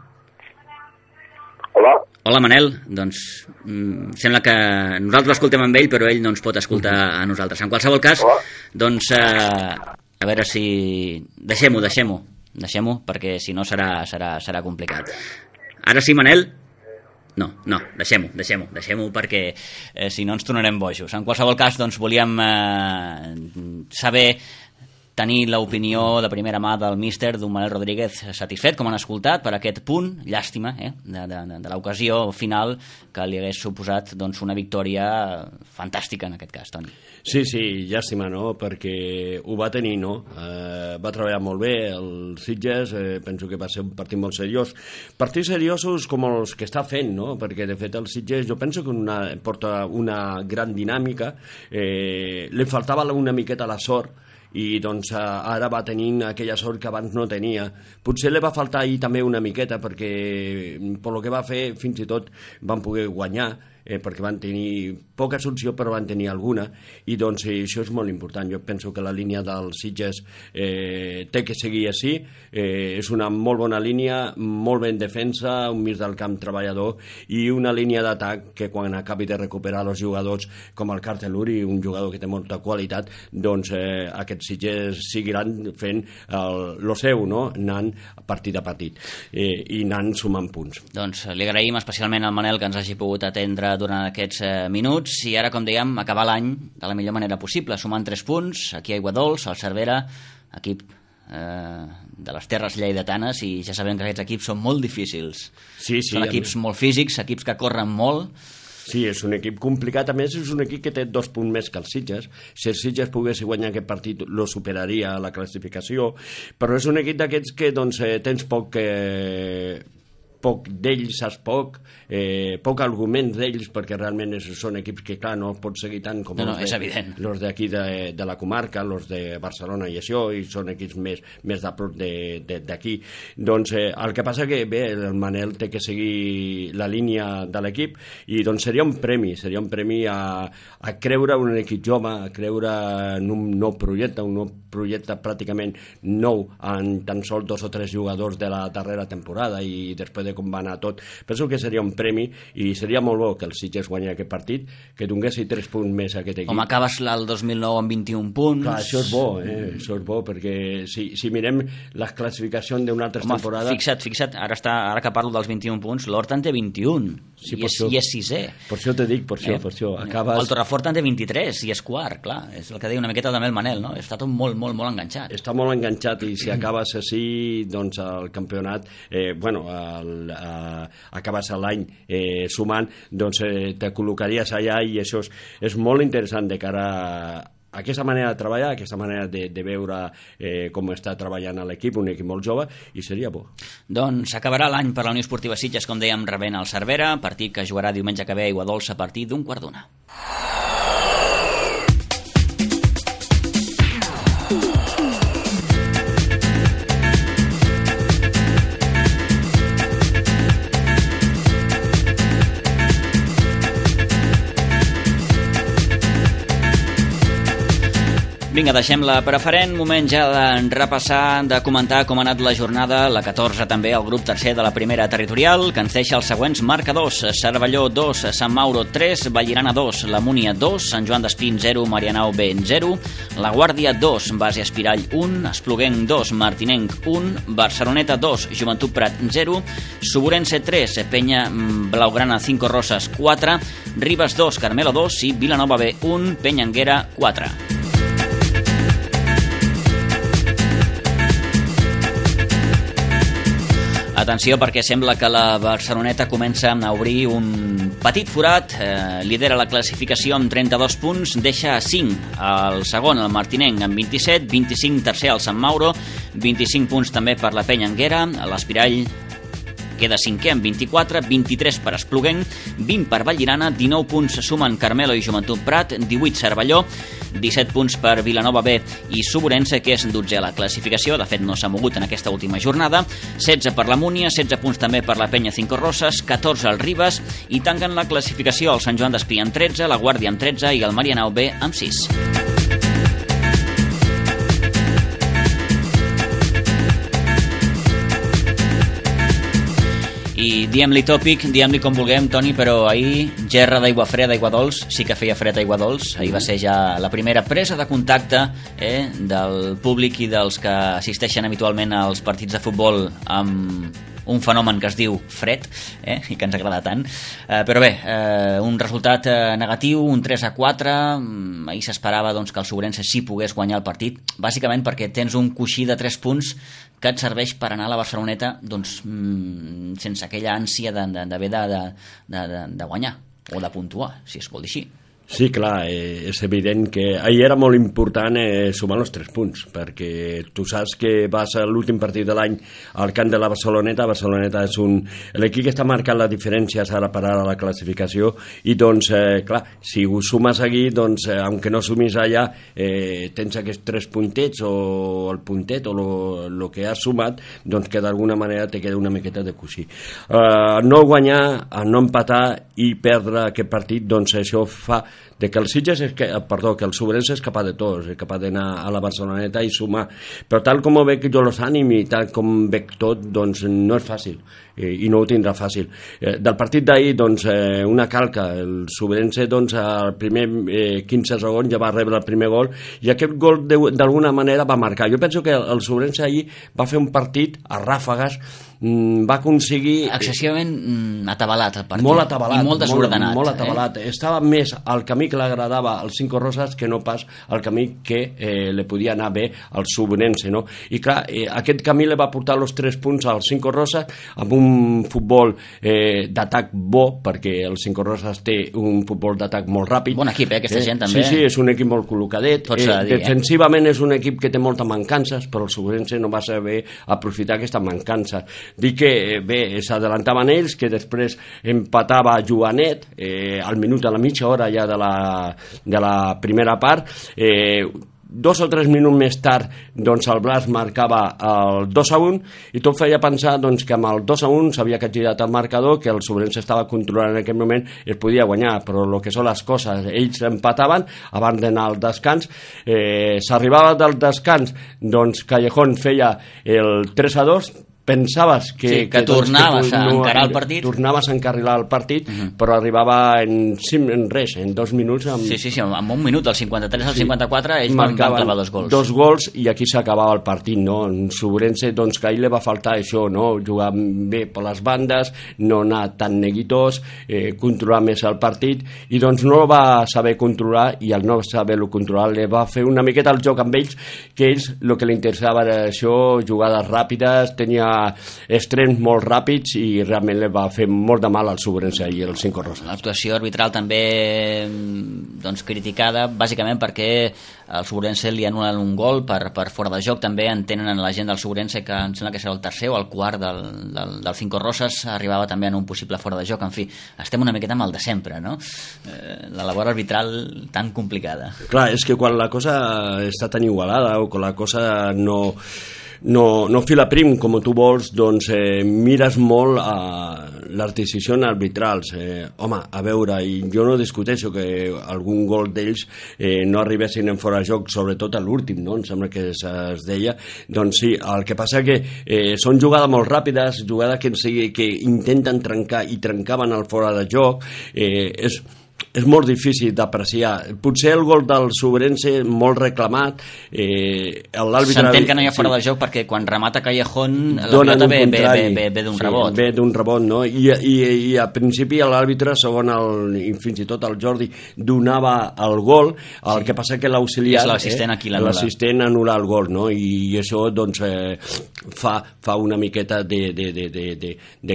Hola? Hola, Manel. Doncs sembla que nosaltres l'escoltem amb ell, però ell no ens pot escoltar a nosaltres. En qualsevol cas, hola. Doncs a veure si... Deixem-ho, perquè si no serà complicat. Ara sí, Manel? No, deixem-ho, perquè si no ens tornarem bojos. En qualsevol cas, doncs volíem saber, tenir l'opinió de primera mà del míster, d'un Manel Rodríguez satisfet, com han escoltat, per aquest punt, llàstima, de l'ocasió final que li hagués suposat doncs, una victòria fantàstica en aquest cas, Toni. Sí, llàstima, no?, perquè ho va tenir, no? Va treballar molt bé el Sitges, penso que va ser un partit molt seriós. Partits seriosos com els que està fent, no?, perquè de fet el Sitges jo penso que porta una gran dinàmica, li faltava una miqueta la sort, i doncs ara va tenint aquella sort que abans no tenia. Potser li va faltar ahir també una miqueta, perquè per lo que va fer fins i tot van poder guanyar, perquè van tenir poca solució però van tenir alguna, i doncs això és molt important. Jo penso que la línia del Sitges té que seguir així, és una molt bona línia, molt ben defensa, un mig del camp treballador i una línia d'atac que quan acabi de recuperar els jugadors com el Carteluri, un jugador que té molta qualitat, doncs aquests Sitges seguiran fent lo seu, no?, anant partit a partit i anant sumant punts. Doncs li agraïm especialment al Manel que ens hagi pogut atendre durant aquests minuts, i ara, com dèiem, acabar l'any de la millor manera possible, sumant 3 punts aquí a Aiguadols, al Cervera, equip de les terres lleidatanes, i ja sabem que aquests equips són molt difícils. Són equips molt físics, equips que corren molt. Sí, és un equip complicat. A més, és un equip que té 2 punts més que els Sitges. Si el Sitges pogués guanyar aquest partit, lo superaria a la classificació, però és un equip d'aquests que doncs, tens poc d'ells, saps poc arguments d'ells, perquè realment són equips que, clar, no pots seguir tant com els d'aquí de la comarca, els de Barcelona i això, i són equips més de prop d'aquí. Doncs el que passa que, bé, el Manel té que seguir la línia de l'equip, i doncs seria un premi a creure en un equip jove, a creure en un nou projecte pràcticament nou, en tan sols 2 o 3 jugadors de la darrera temporada, i després de com va anar tot. Penso que seria un premi i seria molt bo que el Sitges guanyés aquest partit, que donguessi 3 punts més a aquest equip. Com acabes el 2009 amb 21 punts... Clar, això és bo, això és bo, perquè si mirem les classificacions d'una altra temporada... Fixa't, ara que parlo dels 21 punts, l'Horta en té 21, sí, i és sisè. Per això te dic, per això. Acabes... El Torrefort en té 23 i és quart, clar, és el que deia una miqueta també el Manel, no? Està tot molt, molt, molt enganxat. Està molt enganxat i si acabes així, doncs el campionat, acabes l'any sumant, doncs te col·locaries allà i això és molt interessant de cara a aquesta manera de treballar, aquesta manera de veure com està treballant l'equip, un equip molt jove, i seria bo. Doncs acabarà l'any per la Unió Esportiva Sitges, com dèiem, rebent el Cervera, partit que jugarà diumenge que ve a Aiguadols a partir d'1:15. Vinga, deixem la preferent, moment ja de repassar, de comentar com ha anat la jornada, la 14 també, el grup tercer de la primera territorial, que ens deixa els següents marcadors: Cervelló 2, Sant Mauro 3, Vallirana 2, La Múnia 2, Sant Joan d'Espí 0, Marianao B 0, La Guàrdia 2, Base Espirall 1, Espluguenc 2, Martinenc 1, Barceloneta 2, Joventut Prat 0, Suburense 3, Penya Blaugrana 5 Roses 4, Ribes 2, Carmelo 2 i Vilanova B 1, Penyanguera 4. Atenció, perquè sembla que la Barceloneta comença a obrir un petit forat, lidera la classificació amb 32 punts, deixa 5 al segon, el Martinenc, amb 27, 25 tercer al Sant Mauro, 25 punts també per la Penyanguera, l'Espirall queda cinquè amb 24, 23 per Espluguenc, 20 per Vallirana, 19 punts sumen Carmelo i Joventut Prat, 18 Cervelló, 17 punts per Vilanova B i Suburense, que és 12 a la classificació, de fet no s'ha mogut en aquesta última jornada, 16 per la Múnia, 16 punts també per la Penya 5 Roses, 14 al Ribes, i tanquen la classificació el Sant Joan d'Espí amb 13, la Guàrdia amb 13 i el Marianao B amb 6. I diem-li tòpic, diem-li com vulguem, Toni, però ahir gerra d'aigua freda a Aiguadols, sí que feia fred a Aiguadols, ahir va ser ja la primera presa de contacte del públic i dels que assisteixen habitualment als partits de futbol amb un fenomen que es diu fred, i que ens agrada tant, però bé, un resultat negatiu, un 3-4, ahir s'esperava doncs, que el Suburense sí pogués guanyar el partit, bàsicament perquè tens un coixí de 3 punts que et serveix per anar a la Barceloneta doncs, sense aquella ànsia d'haver de guanyar o de puntuar, si es vol dir així. Sí, clar, és evident que ahir era molt important sumar els 3 punts, perquè tu saps que vas a l'últim partit de l'any al camp de la Barceloneta. Barceloneta és l'equip que està marcant les diferències ara per ara a la classificació, i doncs, clar, si ho sumes aquí, doncs, aunque no sumis allà, tens aquests 3 puntets o el puntet o el que has sumat, doncs que d'alguna manera te queda una miqueta de coixí. No guanyar, no empatar i perdre aquest partit, doncs això fa de que el Sitges que el Suburense és capaç de tot, és capaç d'anar a la Barceloneta i sumar, però tal com ho veig jo los ànims i tal com veig tot, doncs no és fàcil i no ho tindrà fàcil. Del partit d'ahir, doncs, una calca, el Suburense, doncs, al primer 15 segons ja va rebre el primer gol i aquest gol d'alguna manera va marcar. Jo penso que el Suburense ahir va fer un partit a ràfegues, va aconseguir... Excessivament atabalat el partit. Molt atabalat. I molt desordenat. Molt atabalat. Estava més al camí que l'agradava als 5 Roses que no pas al camí que li podia anar bé al Suburense, no? I clar, aquest camí li va portar els 3 punts als 5 Roses amb un futbol d'atac bo, perquè el 5 Roses té un futbol d'atac molt ràpid. Bon equip, aquesta gent també. Sí, és un equip molt col·locadet. Defensivament és un equip que té moltes mancances, però el Suburense no va saber aprofitar aquestes mancances. Dic que bé, s'adelantaven ells, que després empatava Joanet al minut, a la mitja hora ja de la primera part. 2 o 3 minuts més tard, doncs el Blas marcava el 2-1 i tot feia pensar doncs, que amb el 2-1 s'havia girat el marcador, que el Suburense estava controlant en aquell moment i es podia guanyar, però el que són les coses, ells empataven abans d'anar al descans. S'arribava del descans, doncs Callejón feia el 3-2, pensaves que tornaves a encarar el partit. Tornaves a encarrilar el partit, però arribava en 2 minuts. Sí, en un minut, del 53 al 54, ells van clavar 2 gols. 2 gols i aquí s'acabava el partit, no? En Sobrense, doncs, que a ell li va faltar això, no? Jugar bé per les bandes, no anar tan neguitós, controlar més el partit, i doncs no el va saber controlar, i al no saber-lo controlar li va fer una miqueta el joc amb ells, que ells el que li interessava era això, jugades ràpides, tenia estrems molt ràpids i realment li va fer molt de mal al Sobrense i el Cinco Roses. L'actuació arbitral també doncs, criticada bàsicament perquè al Sobrense li anulen un gol per fora de joc. També entenen la gent del Sobrense que em sembla que serà el tercer o el quart del Cinco Roses arribava també en un possible fora de joc. En fi, estem una miqueta amb el de sempre, no? La labor arbitral tan complicada. Clar, és que quan la cosa està tan igualada o quan la cosa no fila prim com tu vols, doncs mires molt a les decisions arbitrals. Home, a veure, i jo no discuteixo que algun gol d'ells no arribessin en fora de joc, sobretot a l'últim, no? Em sembla que es deia. Doncs sí, el que passa que són jugades molt ràpides, jugades que intenten trencar i trencaven el fora de joc. És molt difícil d'apreciar. Potser el gol del Sobrense molt reclamat, s'entén que no hi ha fora de joc perquè quan remata Callejón la pilota ve d'un rebot. Ve d'un rebot, no? I a principi l'àrbitre, segon fins i tot el Jordi, donava el gol, el que passa que l'auxiliar, l'assistent anul·la el gol, no? I això doncs fa una miqueta de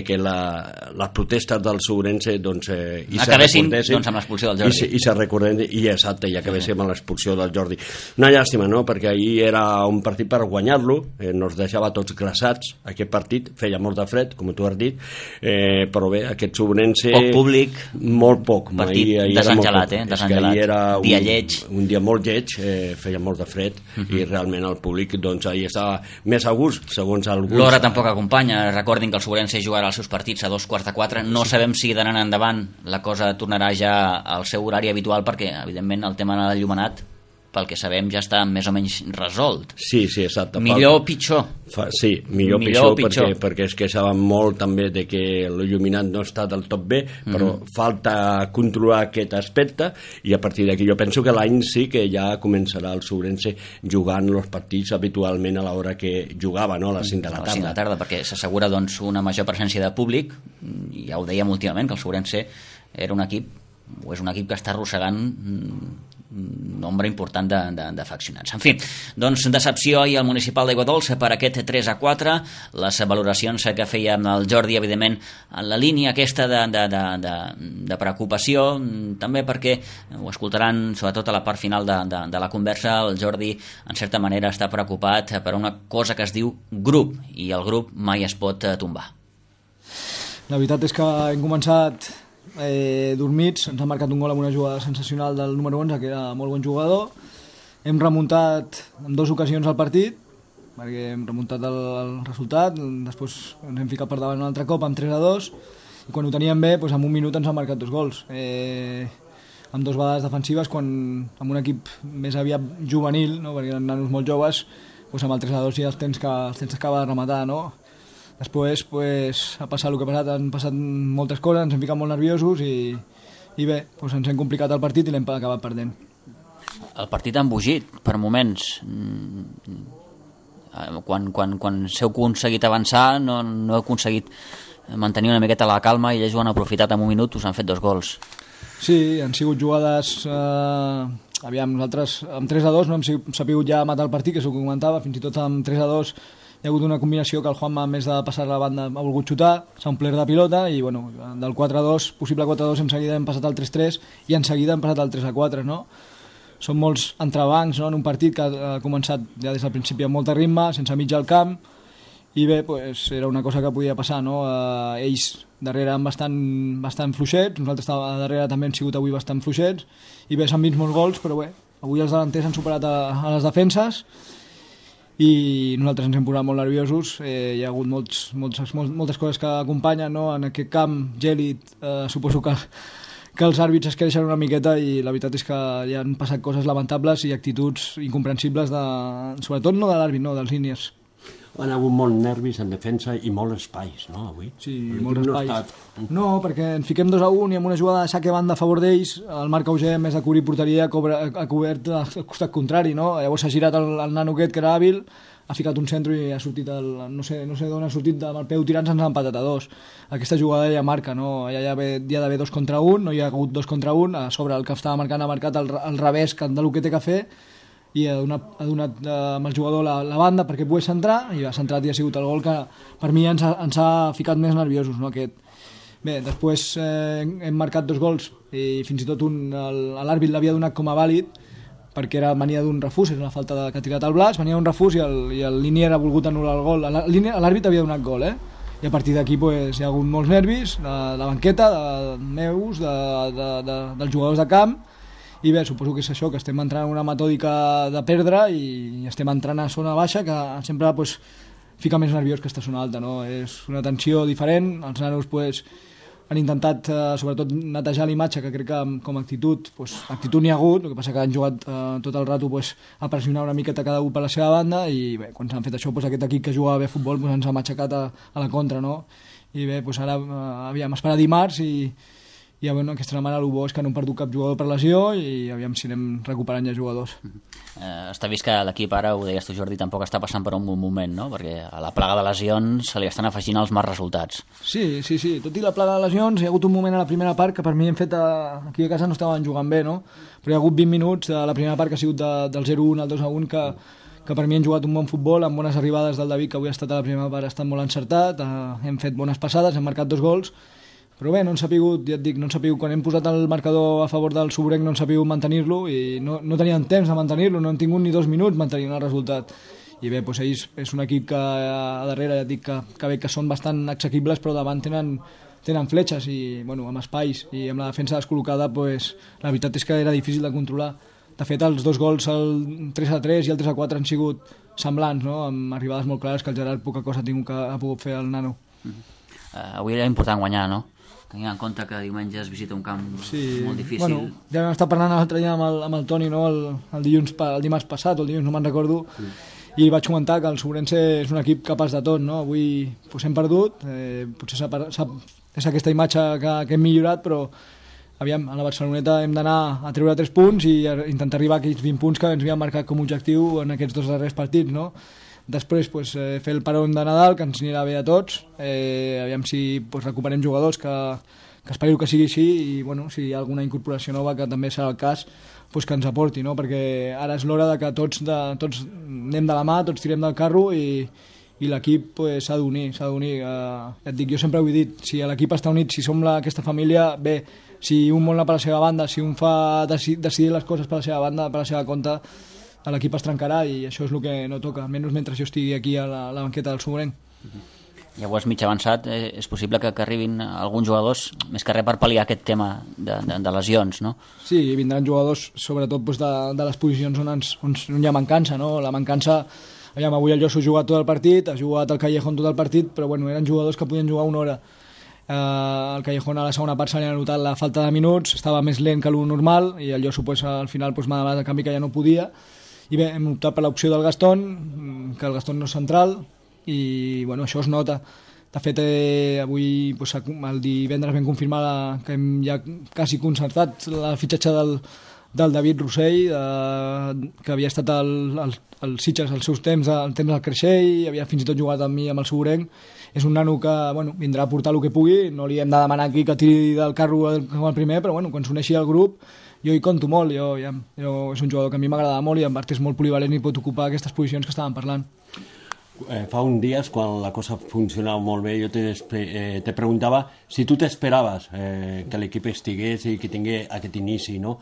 que les protestes del Sobrense doncs acabessin amb l'expulsió del Jordi. I se recordem, i acabéssim amb l'expulsió del Jordi. Una llàstima, no?, perquè ahir era un partit per guanyar-lo, nos deixava tots glaçats, aquest partit, feia molt de fred, com tu has dit, però bé, aquest Sobrense... Poc públic, molt poc. Partit desengelat, desengelat. Dia lleig. Un dia molt lleig, feia molt de fred, i realment el públic, doncs, ahir estava més a gust, segons alguns. L'hora tampoc acompanya, recordin que el Sobrense jugarà els seus partits a 3:45, no sabem si d'anar endavant la cosa tornarà ja al seu horari habitual, perquè evidentment el tema de l'enllumenat, pel que sabem, ja està més o menys resolt. Sí, exacte. Millor o pitjor? Sí, millor o pitjor, perquè es queixaven molt també de que l'il·luminat no està del tot bé, però falta controlar aquest aspecte, i a partir d'aquí jo penso que l'any sí que ja començarà el Sobrense jugant els partits habitualment a l'hora que jugava, no? A les 5 de la tarda. A les 5 de la tarda, perquè s'assegura doncs, una major presència de públic, i ja ho dèiem últimament, que el Sobrense era un equip, o és un equip que està arrossegant un nombre important d'afeccionats. En fi, doncs decepció i el municipal d'Aigua Dolça per aquest 3-4, les valoracions que feia el Jordi, evidentment, en la línia aquesta de preocupació, també perquè ho escoltaran sobretot a la part final de la conversa. El Jordi, en certa manera, està preocupat per una cosa que es diu grup, i el grup mai es pot tombar. La veritat és que hem començat dormits, ens ha marcat un gol amb una jugada sensacional del número 11, que era molt bon jugador. Hem remuntat en 2 ocasions el partit, perquè hem remuntat el resultat, després ens hem ficat per davant un altre cop amb 3-2, i quan ho teníem bé, doncs en un minut ens han marcat 2 gols. Amb 2 vegades defensives, quan amb un equip més aviat juvenil, no? Perquè eren nanos molt joves, doncs amb el 3-2 ja els tens que acabar de rematar, no? Després ha passat el que ha passat, han passat moltes coses, ens hem ficat molt nerviosos i bé, doncs ens hem complicat el partit i l'hem acabat perdent. El partit ha embogit per moments. Quan s'heu aconseguit avançar no heu aconseguit mantenir una miqueta la calma, i ells ho han aprofitat en un minut, us han fet 2 gols. Sí, han sigut jugades... nosaltres amb 3-2 no hem sabut ja matar el partit, que és el que comentava, fins i tot amb 3-2 hi ha hagut una combinació que el Juanma, a més de passar la banda, ha volgut xutar, s'ha omplert de pilota, i bueno, del 4-2, possible 4-2, en seguida hem passat al 3-3 i en seguida hem passat al 3-4, no? Són molts entrebancs, no?, en un partit que ha començat ja des del principi amb molt de ritme, sense mig al camp, i bé, pues, era una cosa que podia passar, no? Ells darrere bastant fluixets, nosaltres darrere també hem sigut avui bastant fluixets, i bé, s'han vist molts gols, però bé, avui els delanters han superat a les defenses, i nosaltres ens hem posat molt nerviosos. Hi ha hagut moltes coses que acompanyen, no? En aquest camp gèlid, suposo que els àrbits es queixen una miqueta, i la veritat és que hi han passat coses lamentables i actituds incomprensibles, sobretot no de l'àrbit, no, dels línies. Han hagut molts nervis en defensa i molts espais, no, avui? Sí, molts espais. No, perquè ens fiquem 2-1 i amb una jugada de saque banda a favor d'ells, el Marc Auger, més de cobrir porteria, ha cobert al costat contrari, no? Llavors s'ha girat el nano aquest, que era hàbil, ha ficat un centre i ha sortit, no sé d'on ha sortit, amb el peu tirant se'ns ha empatat a 2. Aquesta jugada ja marca, no? Ja hi ha d'haver 2 contra 1, no hi ha hagut 2 contra 1, a sobre el que estava marcant ha marcat el revés del que té que fer, i ha donat amb el jugador la banda perquè pogués centrar, i ha centrat i ha sigut el gol que per mi ens ha ficat més nerviosos, no, aquest. Bé, després hem marcat 2 gols i fins i tot l'àrbit l'havia donat com a vàlid perquè venia d'un refús, és una falta que ha tirat el Blas, venia d'un refús i el Linier ha volgut anul·lar el gol. L'àrbit havia donat gol, i a partir d'aquí hi ha hagut molts nervis, de la banqueta, meus, dels jugadors de camp. I bé, suposo que és això, que estem entrant en una metòdica de perdre i estem entrant a zona baixa, que sempre fica més nerviós que estar a zona alta, no? És una tensió diferent, els nanos han intentat sobretot netejar l'imatge, que crec que com a actitud n'hi ha hagut, el que passa que han jugat tot el rato a pressionar una miqueta cada un per la seva banda, i bé, quan s'han fet això, aquest equip que jugava bé a futbol ens ha matxacat a la contra, no? I bé, ara aviam, esperar dimarts i bueno, aquesta setmana el bo és que no hem perdut cap jugador per lesió i aviam si anem recuperant ja jugadors. Està vist que l'equip ara, ho deies tu Jordi, tampoc està passant per un bon moment, no? Perquè a la plaga de lesions se li estan afegint els mals resultats. Sí, tot i la plaga de lesions hi ha hagut un moment a la primera part que per mi hem fet aquí a casa no estaven jugant bé, no? Però hi ha hagut 20 minuts de la primera part que ha sigut del 0-1 al 2-1 que per mi han jugat un bon futbol amb bones arribades del David, que avui ha estat a la primera part, ha estat molt encertat, hem fet bones passades, hem marcat 2 gols. Però bé, no han sapigut, ja et dic, quan hem posat el marcador a favor del Sobrenc no han sapigut mantenir-lo i no tenien temps de mantenir-lo, no han tingut ni 2 minuts mantenint el resultat. I bé, ells és un equip que a darrere, ja et dic, que són bastant exequibles, però davant tenen fletxes i bueno, amb espais i amb la defensa descol·locada, la veritat és que era difícil de controlar. De fet, els 2 gols, el 3-3 i el 3-4 han sigut semblants, no? Amb arribades molt clares que el Gerard poca cosa ha pogut fer el nano. Avui era important guanyar, no? Tenint en compte que diumenge es visita un camp molt difícil. Bueno, ja vam estar parlant l'altre dia amb el Toni, no? el dimarts passat, o el dilluns, no me'n recordo, i vaig comentar que el Sobrense és un equip capaç de tot, no? Avui hem perdut, potser és aquesta imatge que hem millorat, però aviam, a la Barceloneta hem d'anar a treure 3 punts i intentar arribar a aquells 20 punts que ens havíem marcat com a objectiu en aquests 2 darrers partits, no? Després fer el parón de Nadal, que ens anirà bé a tots, aviam si recuperem jugadors, que espero que sigui així, i bueno, si hi ha alguna incorporació nova, que també serà el cas, que ens aporti, no? Perquè ara és l'hora que tots anem de la mà, tots tirem del carro i l'equip s'ha d'unir. Ja et dic, jo sempre ho he dit, si l'equip està unit, si som aquesta família, bé, si un vol anar per la seva banda, si un fa decidir les coses per la seva banda, per la seva compte, l'equip es trencarà i això és el que no toca, almenys mentre jo estigui aquí a la banqueta del Sobrenc. Llavors, mig avançat, és possible que arribin alguns jugadors, més que res per pal·liar aquest tema de lesions, no? Sí, vindran jugadors sobretot de les posicions on hi ha mancança, no? La mancança, avui el Josu ha jugat tot el partit, ha jugat el Callejón tot el partit, però bueno, eren jugadors que podien jugar 1 hora. El Callejón a la segona part se li ha notat la falta de minuts, estava més lent que el normal i el Josu al final m'ha demanat el canvi que ja no podia. I bé, hem optat per l'opció del Gastón, que el Gastón no és central, i bueno, això es nota. De fet, avui, el divendres vam confirmar que hem ja quasi concertat el fitxatge del David Rossell, que havia estat al Sitges als seus temps, al temps del Creixell, havia fins i tot jugat amb mi amb el Sobrenc. És un nano que vindrà a portar el que pugui, no li hem de demanar aquí que tiri del carro com el primer, però quan s'uneixi al grup jo hi compto molt, és un jugador que a mi m'agrada molt i en part és molt polivalent i pot ocupar aquestes posicions que estàvem parlant. Fa uns dies, quan la cosa funcionava molt bé, jo te preguntava si tu t'esperaves que l'equip estigués i que tingués aquest inici, no?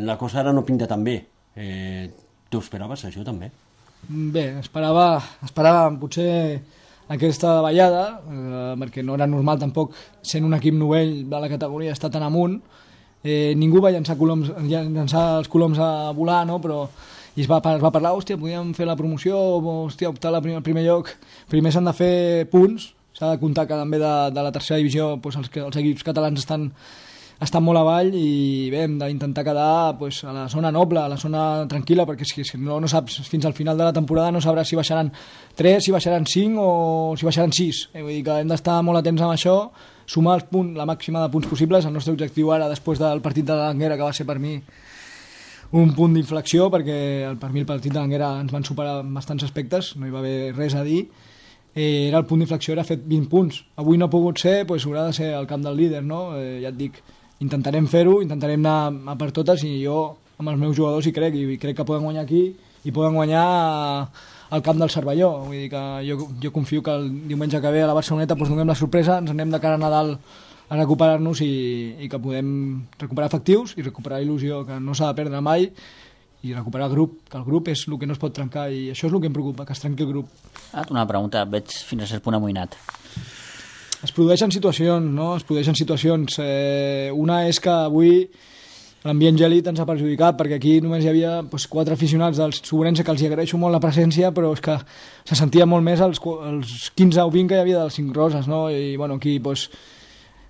La cosa ara no pinta tan bé. Tu esperaves això també? Bé, esperava potser aquesta ballada, perquè no era normal tampoc, sent un equip novell de la categoria, estar tan amunt. Ningú va llançar els coloms a volar, no? Però es va parlar, podíem fer la promoció o optar al primer lloc. Primer s'han de fer punts, s'ha de comptar que també de la tercera divisió els equips catalans estan estan molt avall i bé, hem d'intentar quedar pues, a la zona noble, a la zona tranquil·la, perquè si no saps fins al final de la temporada no sabràs si baixaran 3, si baixaran 5 o si baixaran 6. Vull dir que hem d'estar molt atents amb això, sumar la màxima de punts possibles. El nostre objectiu ara, després del partit de l'Anguera, que va ser per mi un punt d'inflexió, perquè per mi el partit de l'Anguera ens van superar en bastants aspectes, no hi va haver res a dir, era el punt d'inflexió, era fet 20 punts. Avui no ha pogut ser, doncs haurà de ser el camp del líder, no? Ja et dic, intentarem fer-ho, intentarem anar a per totes, i jo amb els meus jugadors hi crec, i crec que poden guanyar aquí i poden guanyar al camp del Cervelló. Vull dir que jo confio que el diumenge que ve a la Barceloneta doncs donem la sorpresa, ens anem de cara a Nadal a recuperar-nos i que podem recuperar efectius i recuperar il·lusió, que no s'ha de perdre mai, i recuperar el grup, que el grup és el que no es pot trencar, i això és el que em preocupa, que es trenqui el grup. Una pregunta, veig fins a cert punt amoïnat. Es produeixen situacions, no? Es produeixen situacions. Una és que avui l'ambient gèlid ens ha perjudicat, perquè aquí només hi havia 4 aficionats del Sobrense, que els agraeixo molt la presència, però és que se sentia molt més els 15 o 20 que hi havia dels 5 Roses, no? I bueno, aquí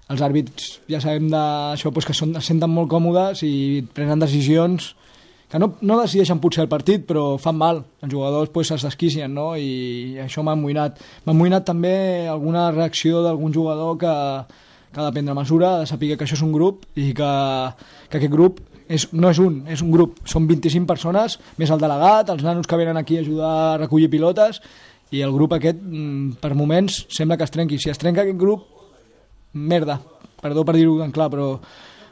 els àrbits ja sabem d'això, que se senten molt còmodes i prenen decisions que no decideixen potser el partit, però fan mal. Els jugadors es desquicien, no? I això m'ha amoïnat. M'ha amoïnat també alguna reacció d'algun jugador que ha de prendre mesura, ha de saber que això és un grup i que aquest grup no és un grup. Són 25 persones, més el delegat, els nanos que venen aquí a ajudar a recollir pilotes, i el grup aquest, per moments, sembla que es trenqui. Si es trenca aquest grup, merda, perdó per dir-ho tan clar, però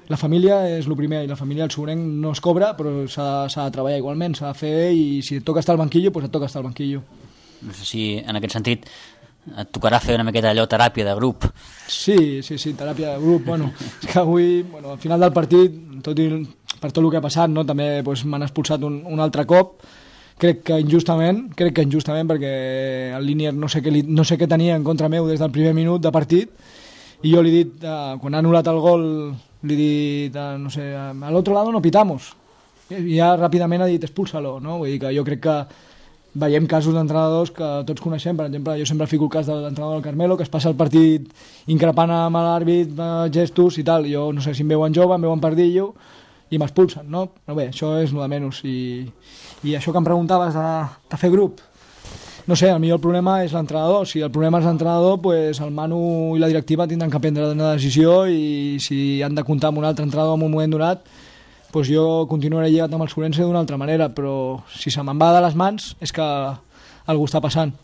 la família és el primer, i la família del Sobrenc no es cobra, però s'ha de treballar igualment, s'ha de fer, i si et toca estar al banquillo, doncs et toca estar al banquillo. No sé si en aquest sentit et tocarà fer una miqueta allò teràpia de grup. Sí, teràpia de grup. Bueno, és que avui, al final del partit, per tot el que ha passat, no, també m'han expulsat un altre cop. Crec que injustament, perquè el Línier no sé què tenia en contra meu des del primer minut de partit, i jo li he dit, quan ha anul·lat el gol, li he dit, no sé, al otro lado no pitamos. I ja ràpidament ha dit, expúlsalo, no? Vull dir que jo crec que veiem casos d'entrenadors que tots coneixem. Per exemple, jo sempre fico el cas de l'entrenador del Carmelo, que es passa el partit increpant amb l'àrbit, gestos i tal. Jo no sé si em veuen jove, em veuen pardillo, i m'expulsen, no? Però bé, això és el de menys. I això que em preguntaves de fer grup, no sé, potser el problema és l'entrenador. Si el problema és l'entrenador, doncs el Manu i la directiva tindran que prendre una decisió, i si han de comptar amb un altre entrenador en un moment donat, doncs jo continuaré lligat amb el Sobrense d'una altra manera, però si se me'n va de les mans és que algú està passant.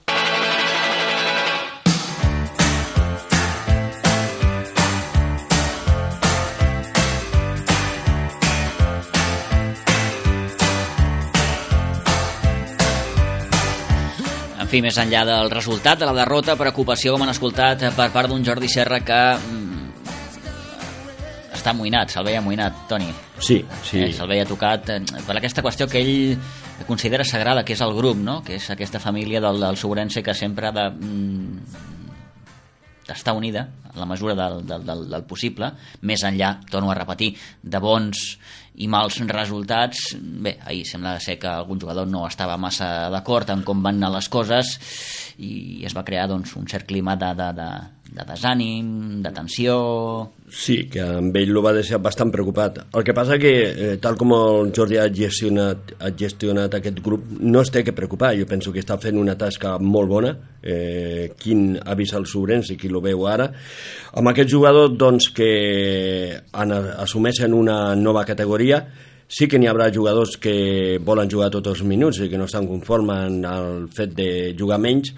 En fi, més enllà del resultat, de la derrota, preocupació, com han escoltat, per part d'un Jordi Serra que està amoïnat, se'l veia amoïnat, Toni. Sí. Se'l veia tocat per aquesta qüestió que ell considera sagrada, que és el grup, no? Que és aquesta família del Sobrense que sempre ha d'estar unida en la mesura del possible, més enllà, torno a repetir, de bons i mals resultats. Bé, ahir sembla ser que algun jugador no estava massa d'acord amb com van anar les coses, i es va crear un cert clima de desànim, de tensió. Sí, que amb ell lo va deixar bastant preocupat. El que passa que, tal com el Jordi ha gestionat aquest grup, no es té que preocupar. Jo penso que està fent una tasca molt bona. Quin ha vist el Sobrense i qui lo veu ara. Amb aquest jugador, doncs, que assumeixen una nova categoria, sí que n'hi haurà jugadors que volen jugar tots els minuts i que no estan conformes amb el fet de jugar menys,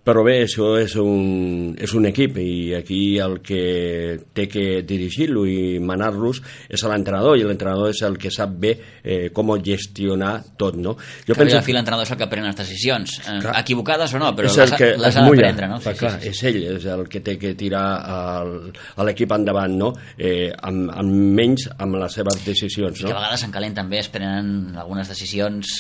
però bé, això és un equip, i aquí el que té que dirigir-lo i manar-los és l'entrenador, i l'entrenador és el que sap bé com gestionar tot, no? Jo penso que l'entrenador és el que pren les decisions, equivocades o no, però les ha de prendre, no? Clar, és ell, és el que té que tirar a l'equip endavant, no? Amb menys amb les seves decisions, no? I que a vegades s'encalent també, es prenen algunes decisions,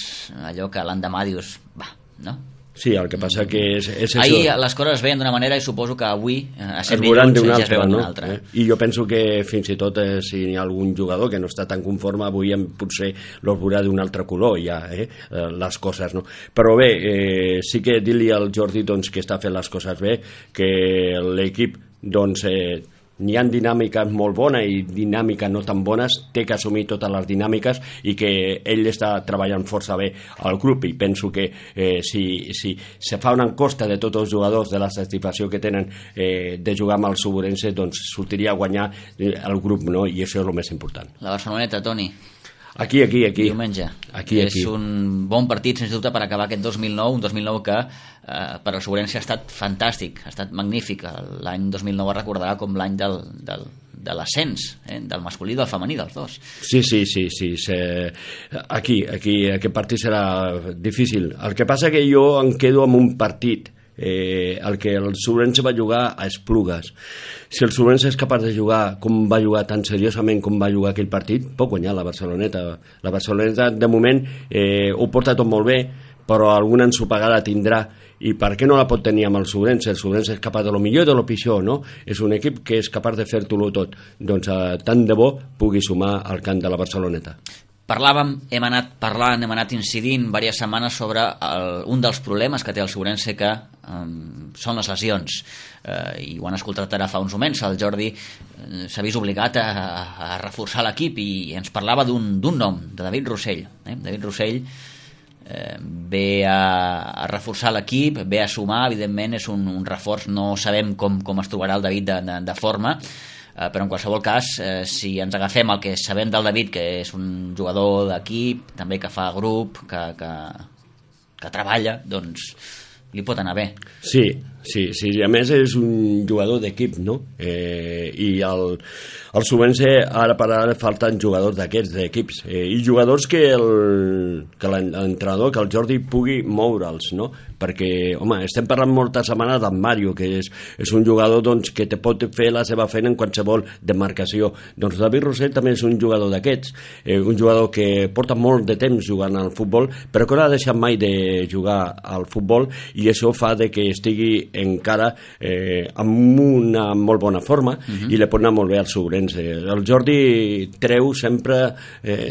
allò que l'endemà dius, va, no? Sí, el que passa que és això. Ahir les coses es veien d'una manera i suposo que avui a 100 minuts ja es veuen d'una altra. I jo penso que fins i tot si hi ha algun jugador que no està tan conforme, avui potser los veurà d'un altre color ja, les coses, no? Però bé, sí que dir-li al Jordi, doncs, que està fent les coses bé, que l'equip, doncs, n'hi ha dinàmiques molt bones i dinàmiques no tan bones, té que assumir totes les dinàmiques i que ell està treballant força bé al grup, i penso que si se fa una encosta de tots els jugadors de la satisfacció que tenen de jugar amb el Suburense, doncs sortiria a guanyar el grup, no? I això és el més important. La Barceloneta, Toni. Aquí. Diumenge. Aquí. És un bon partit, sens dubte, per acabar aquest 2009, un 2009 que per al Suburense ha estat fantàstic, ha estat magnífic. L'any 2009 es recordarà com l'any de l'ascens, del masculí i del femení, dels dos. Sí. Aquí aquest partit serà difícil. El que passa que jo em quedo amb un partit, el que el Suburense va jugar a Esplugues. Si el Suburense és capaç de jugar com va jugar, tan seriosament com va jugar aquell partit, pot guanyar la Barceloneta. La Barceloneta de moment ho porta tot molt bé, però alguna ensopegada tindrà, i per què no la pot tenir amb el Suburense? El Suburense és capaç de lo millor i de lo pitjor, no? És un equip que és capaç de fer-ho tot. Doncs tant de bo pugui sumar al camp de la Barceloneta. Hem anat parlant, hem anat incidint diverses setmanes sobre un dels problemes que té el Suburense, que són les lesions, i ho han escoltat ara fa uns moments. El Jordi s'ha vist obligat a reforçar l'equip i ens parlava d'un nom, de David Rossell. David Rossell ve a reforçar l'equip, ve a sumar, evidentment és un reforç, no sabem com es trobarà el David de forma, però en qualsevol cas, si ens agafem el que sabem del David, que és un jugador d'equip, també que fa grup, que treballa, doncs li pot anar bé. Sí, a més és un jugador d'equip, no? I al Suburense ara per ara falten jugadors d'aquests, d'equips, i jugadors que l'entrenador, que el Jordi pugui moure'ls, no? Perquè, home, estem parlant moltes setmanes d'en Mario, que és un jugador, doncs, que te pot fer la seva feina en qualsevol demarcació. Doncs David Rossell també és un jugador d'aquests, un jugador que porta molt de temps jugant al futbol, però que no ha deixat mai de jugar al futbol, i això fa de que estigui encara amb una molt bona forma, i li pot anar molt bé al Suburense. El Jordi treu sempre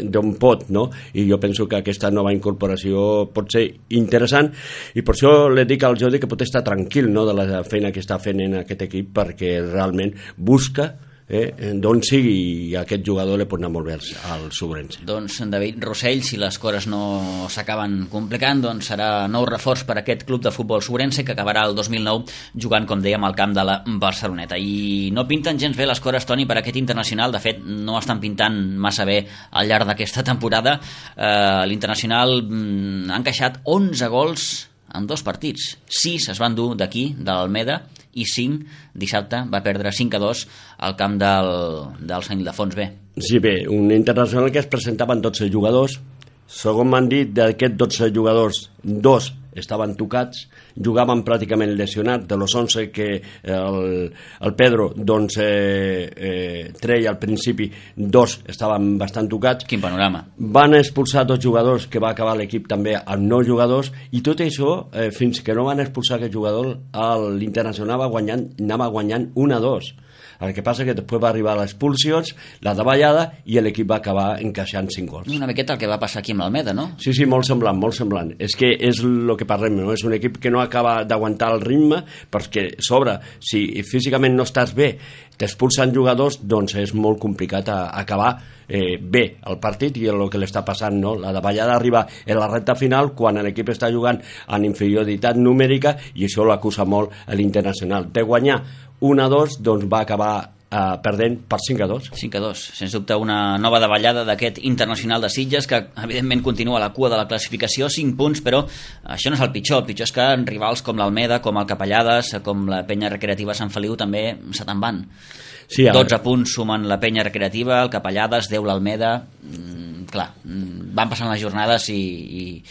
d'on pot, no? I jo penso que aquesta nova incorporació pot ser interessant, i per això li dic al Jordi que pot estar tranquil, no?, de la feina que està fent en aquest equip, perquè realment busca d'on sigui aquest jugador li pot anar molt bé al Suburense. Doncs David Rossell, si les coses no s'acaben complicant, doncs serà nou reforç per aquest club de futbol Suburense, que acabarà el 2009 jugant, com dèiem, al camp de la Barceloneta. I no pinten gens bé les coses, Toni, per aquest internacional. De fet, no estan pintant massa bé al llarg d'aquesta temporada. L'internacional ha encaixat 11 gols en 2 partits. 6 es van dur d'aquí, de l'Almeda, i 5 dissabte va perdre 5-2 al camp del Sant Ildefons B. Sí, bé, un internacional que es presentaven 12 jugadors. Segons m'han dit, d'aquests 12 jugadors, 2 estaven tocats, jugaven pràcticament lesionats. De los 11 que el Pedro doncs treia al principi, 2 estaven bastant tocats. Quin panorama. Van expulsar 2 jugadors, que va acabar l'equip també amb 9 jugadors, i tot això, fins que no van expulsar aquest jugador, l'Internacional anava guanyant 1-2. El que passa que després va arribar l'expulsions, la davallada, i l'equip va acabar encaixant 5 gols. Una miqueta el que va passar aquí amb l'Almeda, no? Sí, molt semblant, molt semblant. És que és el que parlem, no? És un equip que no acaba d'aguantar el ritme, perquè sobre, si físicament no estàs bé, t'expulsen jugadors, doncs és molt complicat acabar bé el partit, i el que li està passant, no? La davallada arriba en la recta final, quan l'equip està jugant en inferioritat numèrica, i això l'acusa molt a l'Internacional. De guanyar 1-2, doncs va acabar perdent per 5-2. 5-2, sens dubte una nova davallada d'aquest Internacional de Sitges, que evidentment continua a la cua de la classificació, 5 punts, però això no és el pitjor és que rivals com l'Almeda, com el Capellades, com la Penya Recreativa Sant Feliu també se te'n van. Sí, 12 punts sumen la Penya Recreativa, el Capellades, 10 l'Almeda. Clar, van passant les jornades i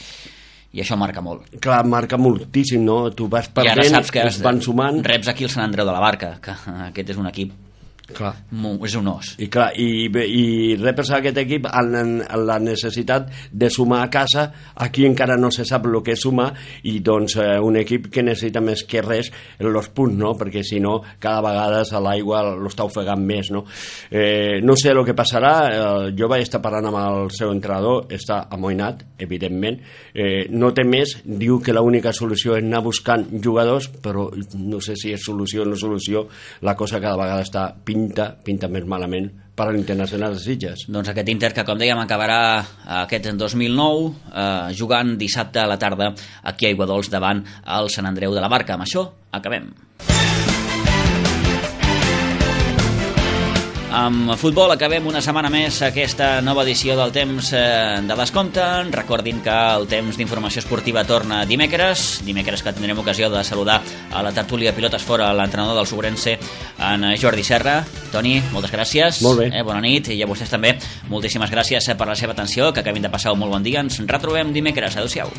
això marca molt. Clar, marca moltíssim, no? Tu vas perdent, i ara saps que van sumant. Reps aquí el Sant Andreu de la Barca, que aquest és un equip, clar, és un os. I clar, i repes aquest equip en la necessitat de sumar a casa. Aquí encara no se sap el que és sumar, i doncs un equip que necessita més que res els punts, no? Perquè si no, cada vegada a l'aigua l'està ofegant més, no? No sé el que passarà. Jo vaig estar parlant amb el seu entrenador, està amoïnat, evidentment, no té més, diu que l'única solució és anar buscant jugadors, però no sé si és solució o no solució, la cosa cada vegada està pitjor. pinta més malament per a l'Internacional de Sitges. Doncs aquest Inter que, com dèiem, acabarà aquest 2009 jugant dissabte a la tarda aquí a Aiguadols davant el Sant Andreu de la Barca. Amb això acabem. Amb futbol acabem una setmana més aquesta nova edició del Temps de Descompte. Recordin que el Temps d'Informació Esportiva torna dimecres que tindrem ocasió de saludar a la tertúlia Pilotes Fora l'entrenador del Sobrense, en Jordi Serra. Toni, moltes gràcies. Molt bé. Bona nit, i a vostès també moltíssimes gràcies per la seva atenció, que acabin de passar un molt bon dia. Ens retrobem dimecres. Adéu-siau.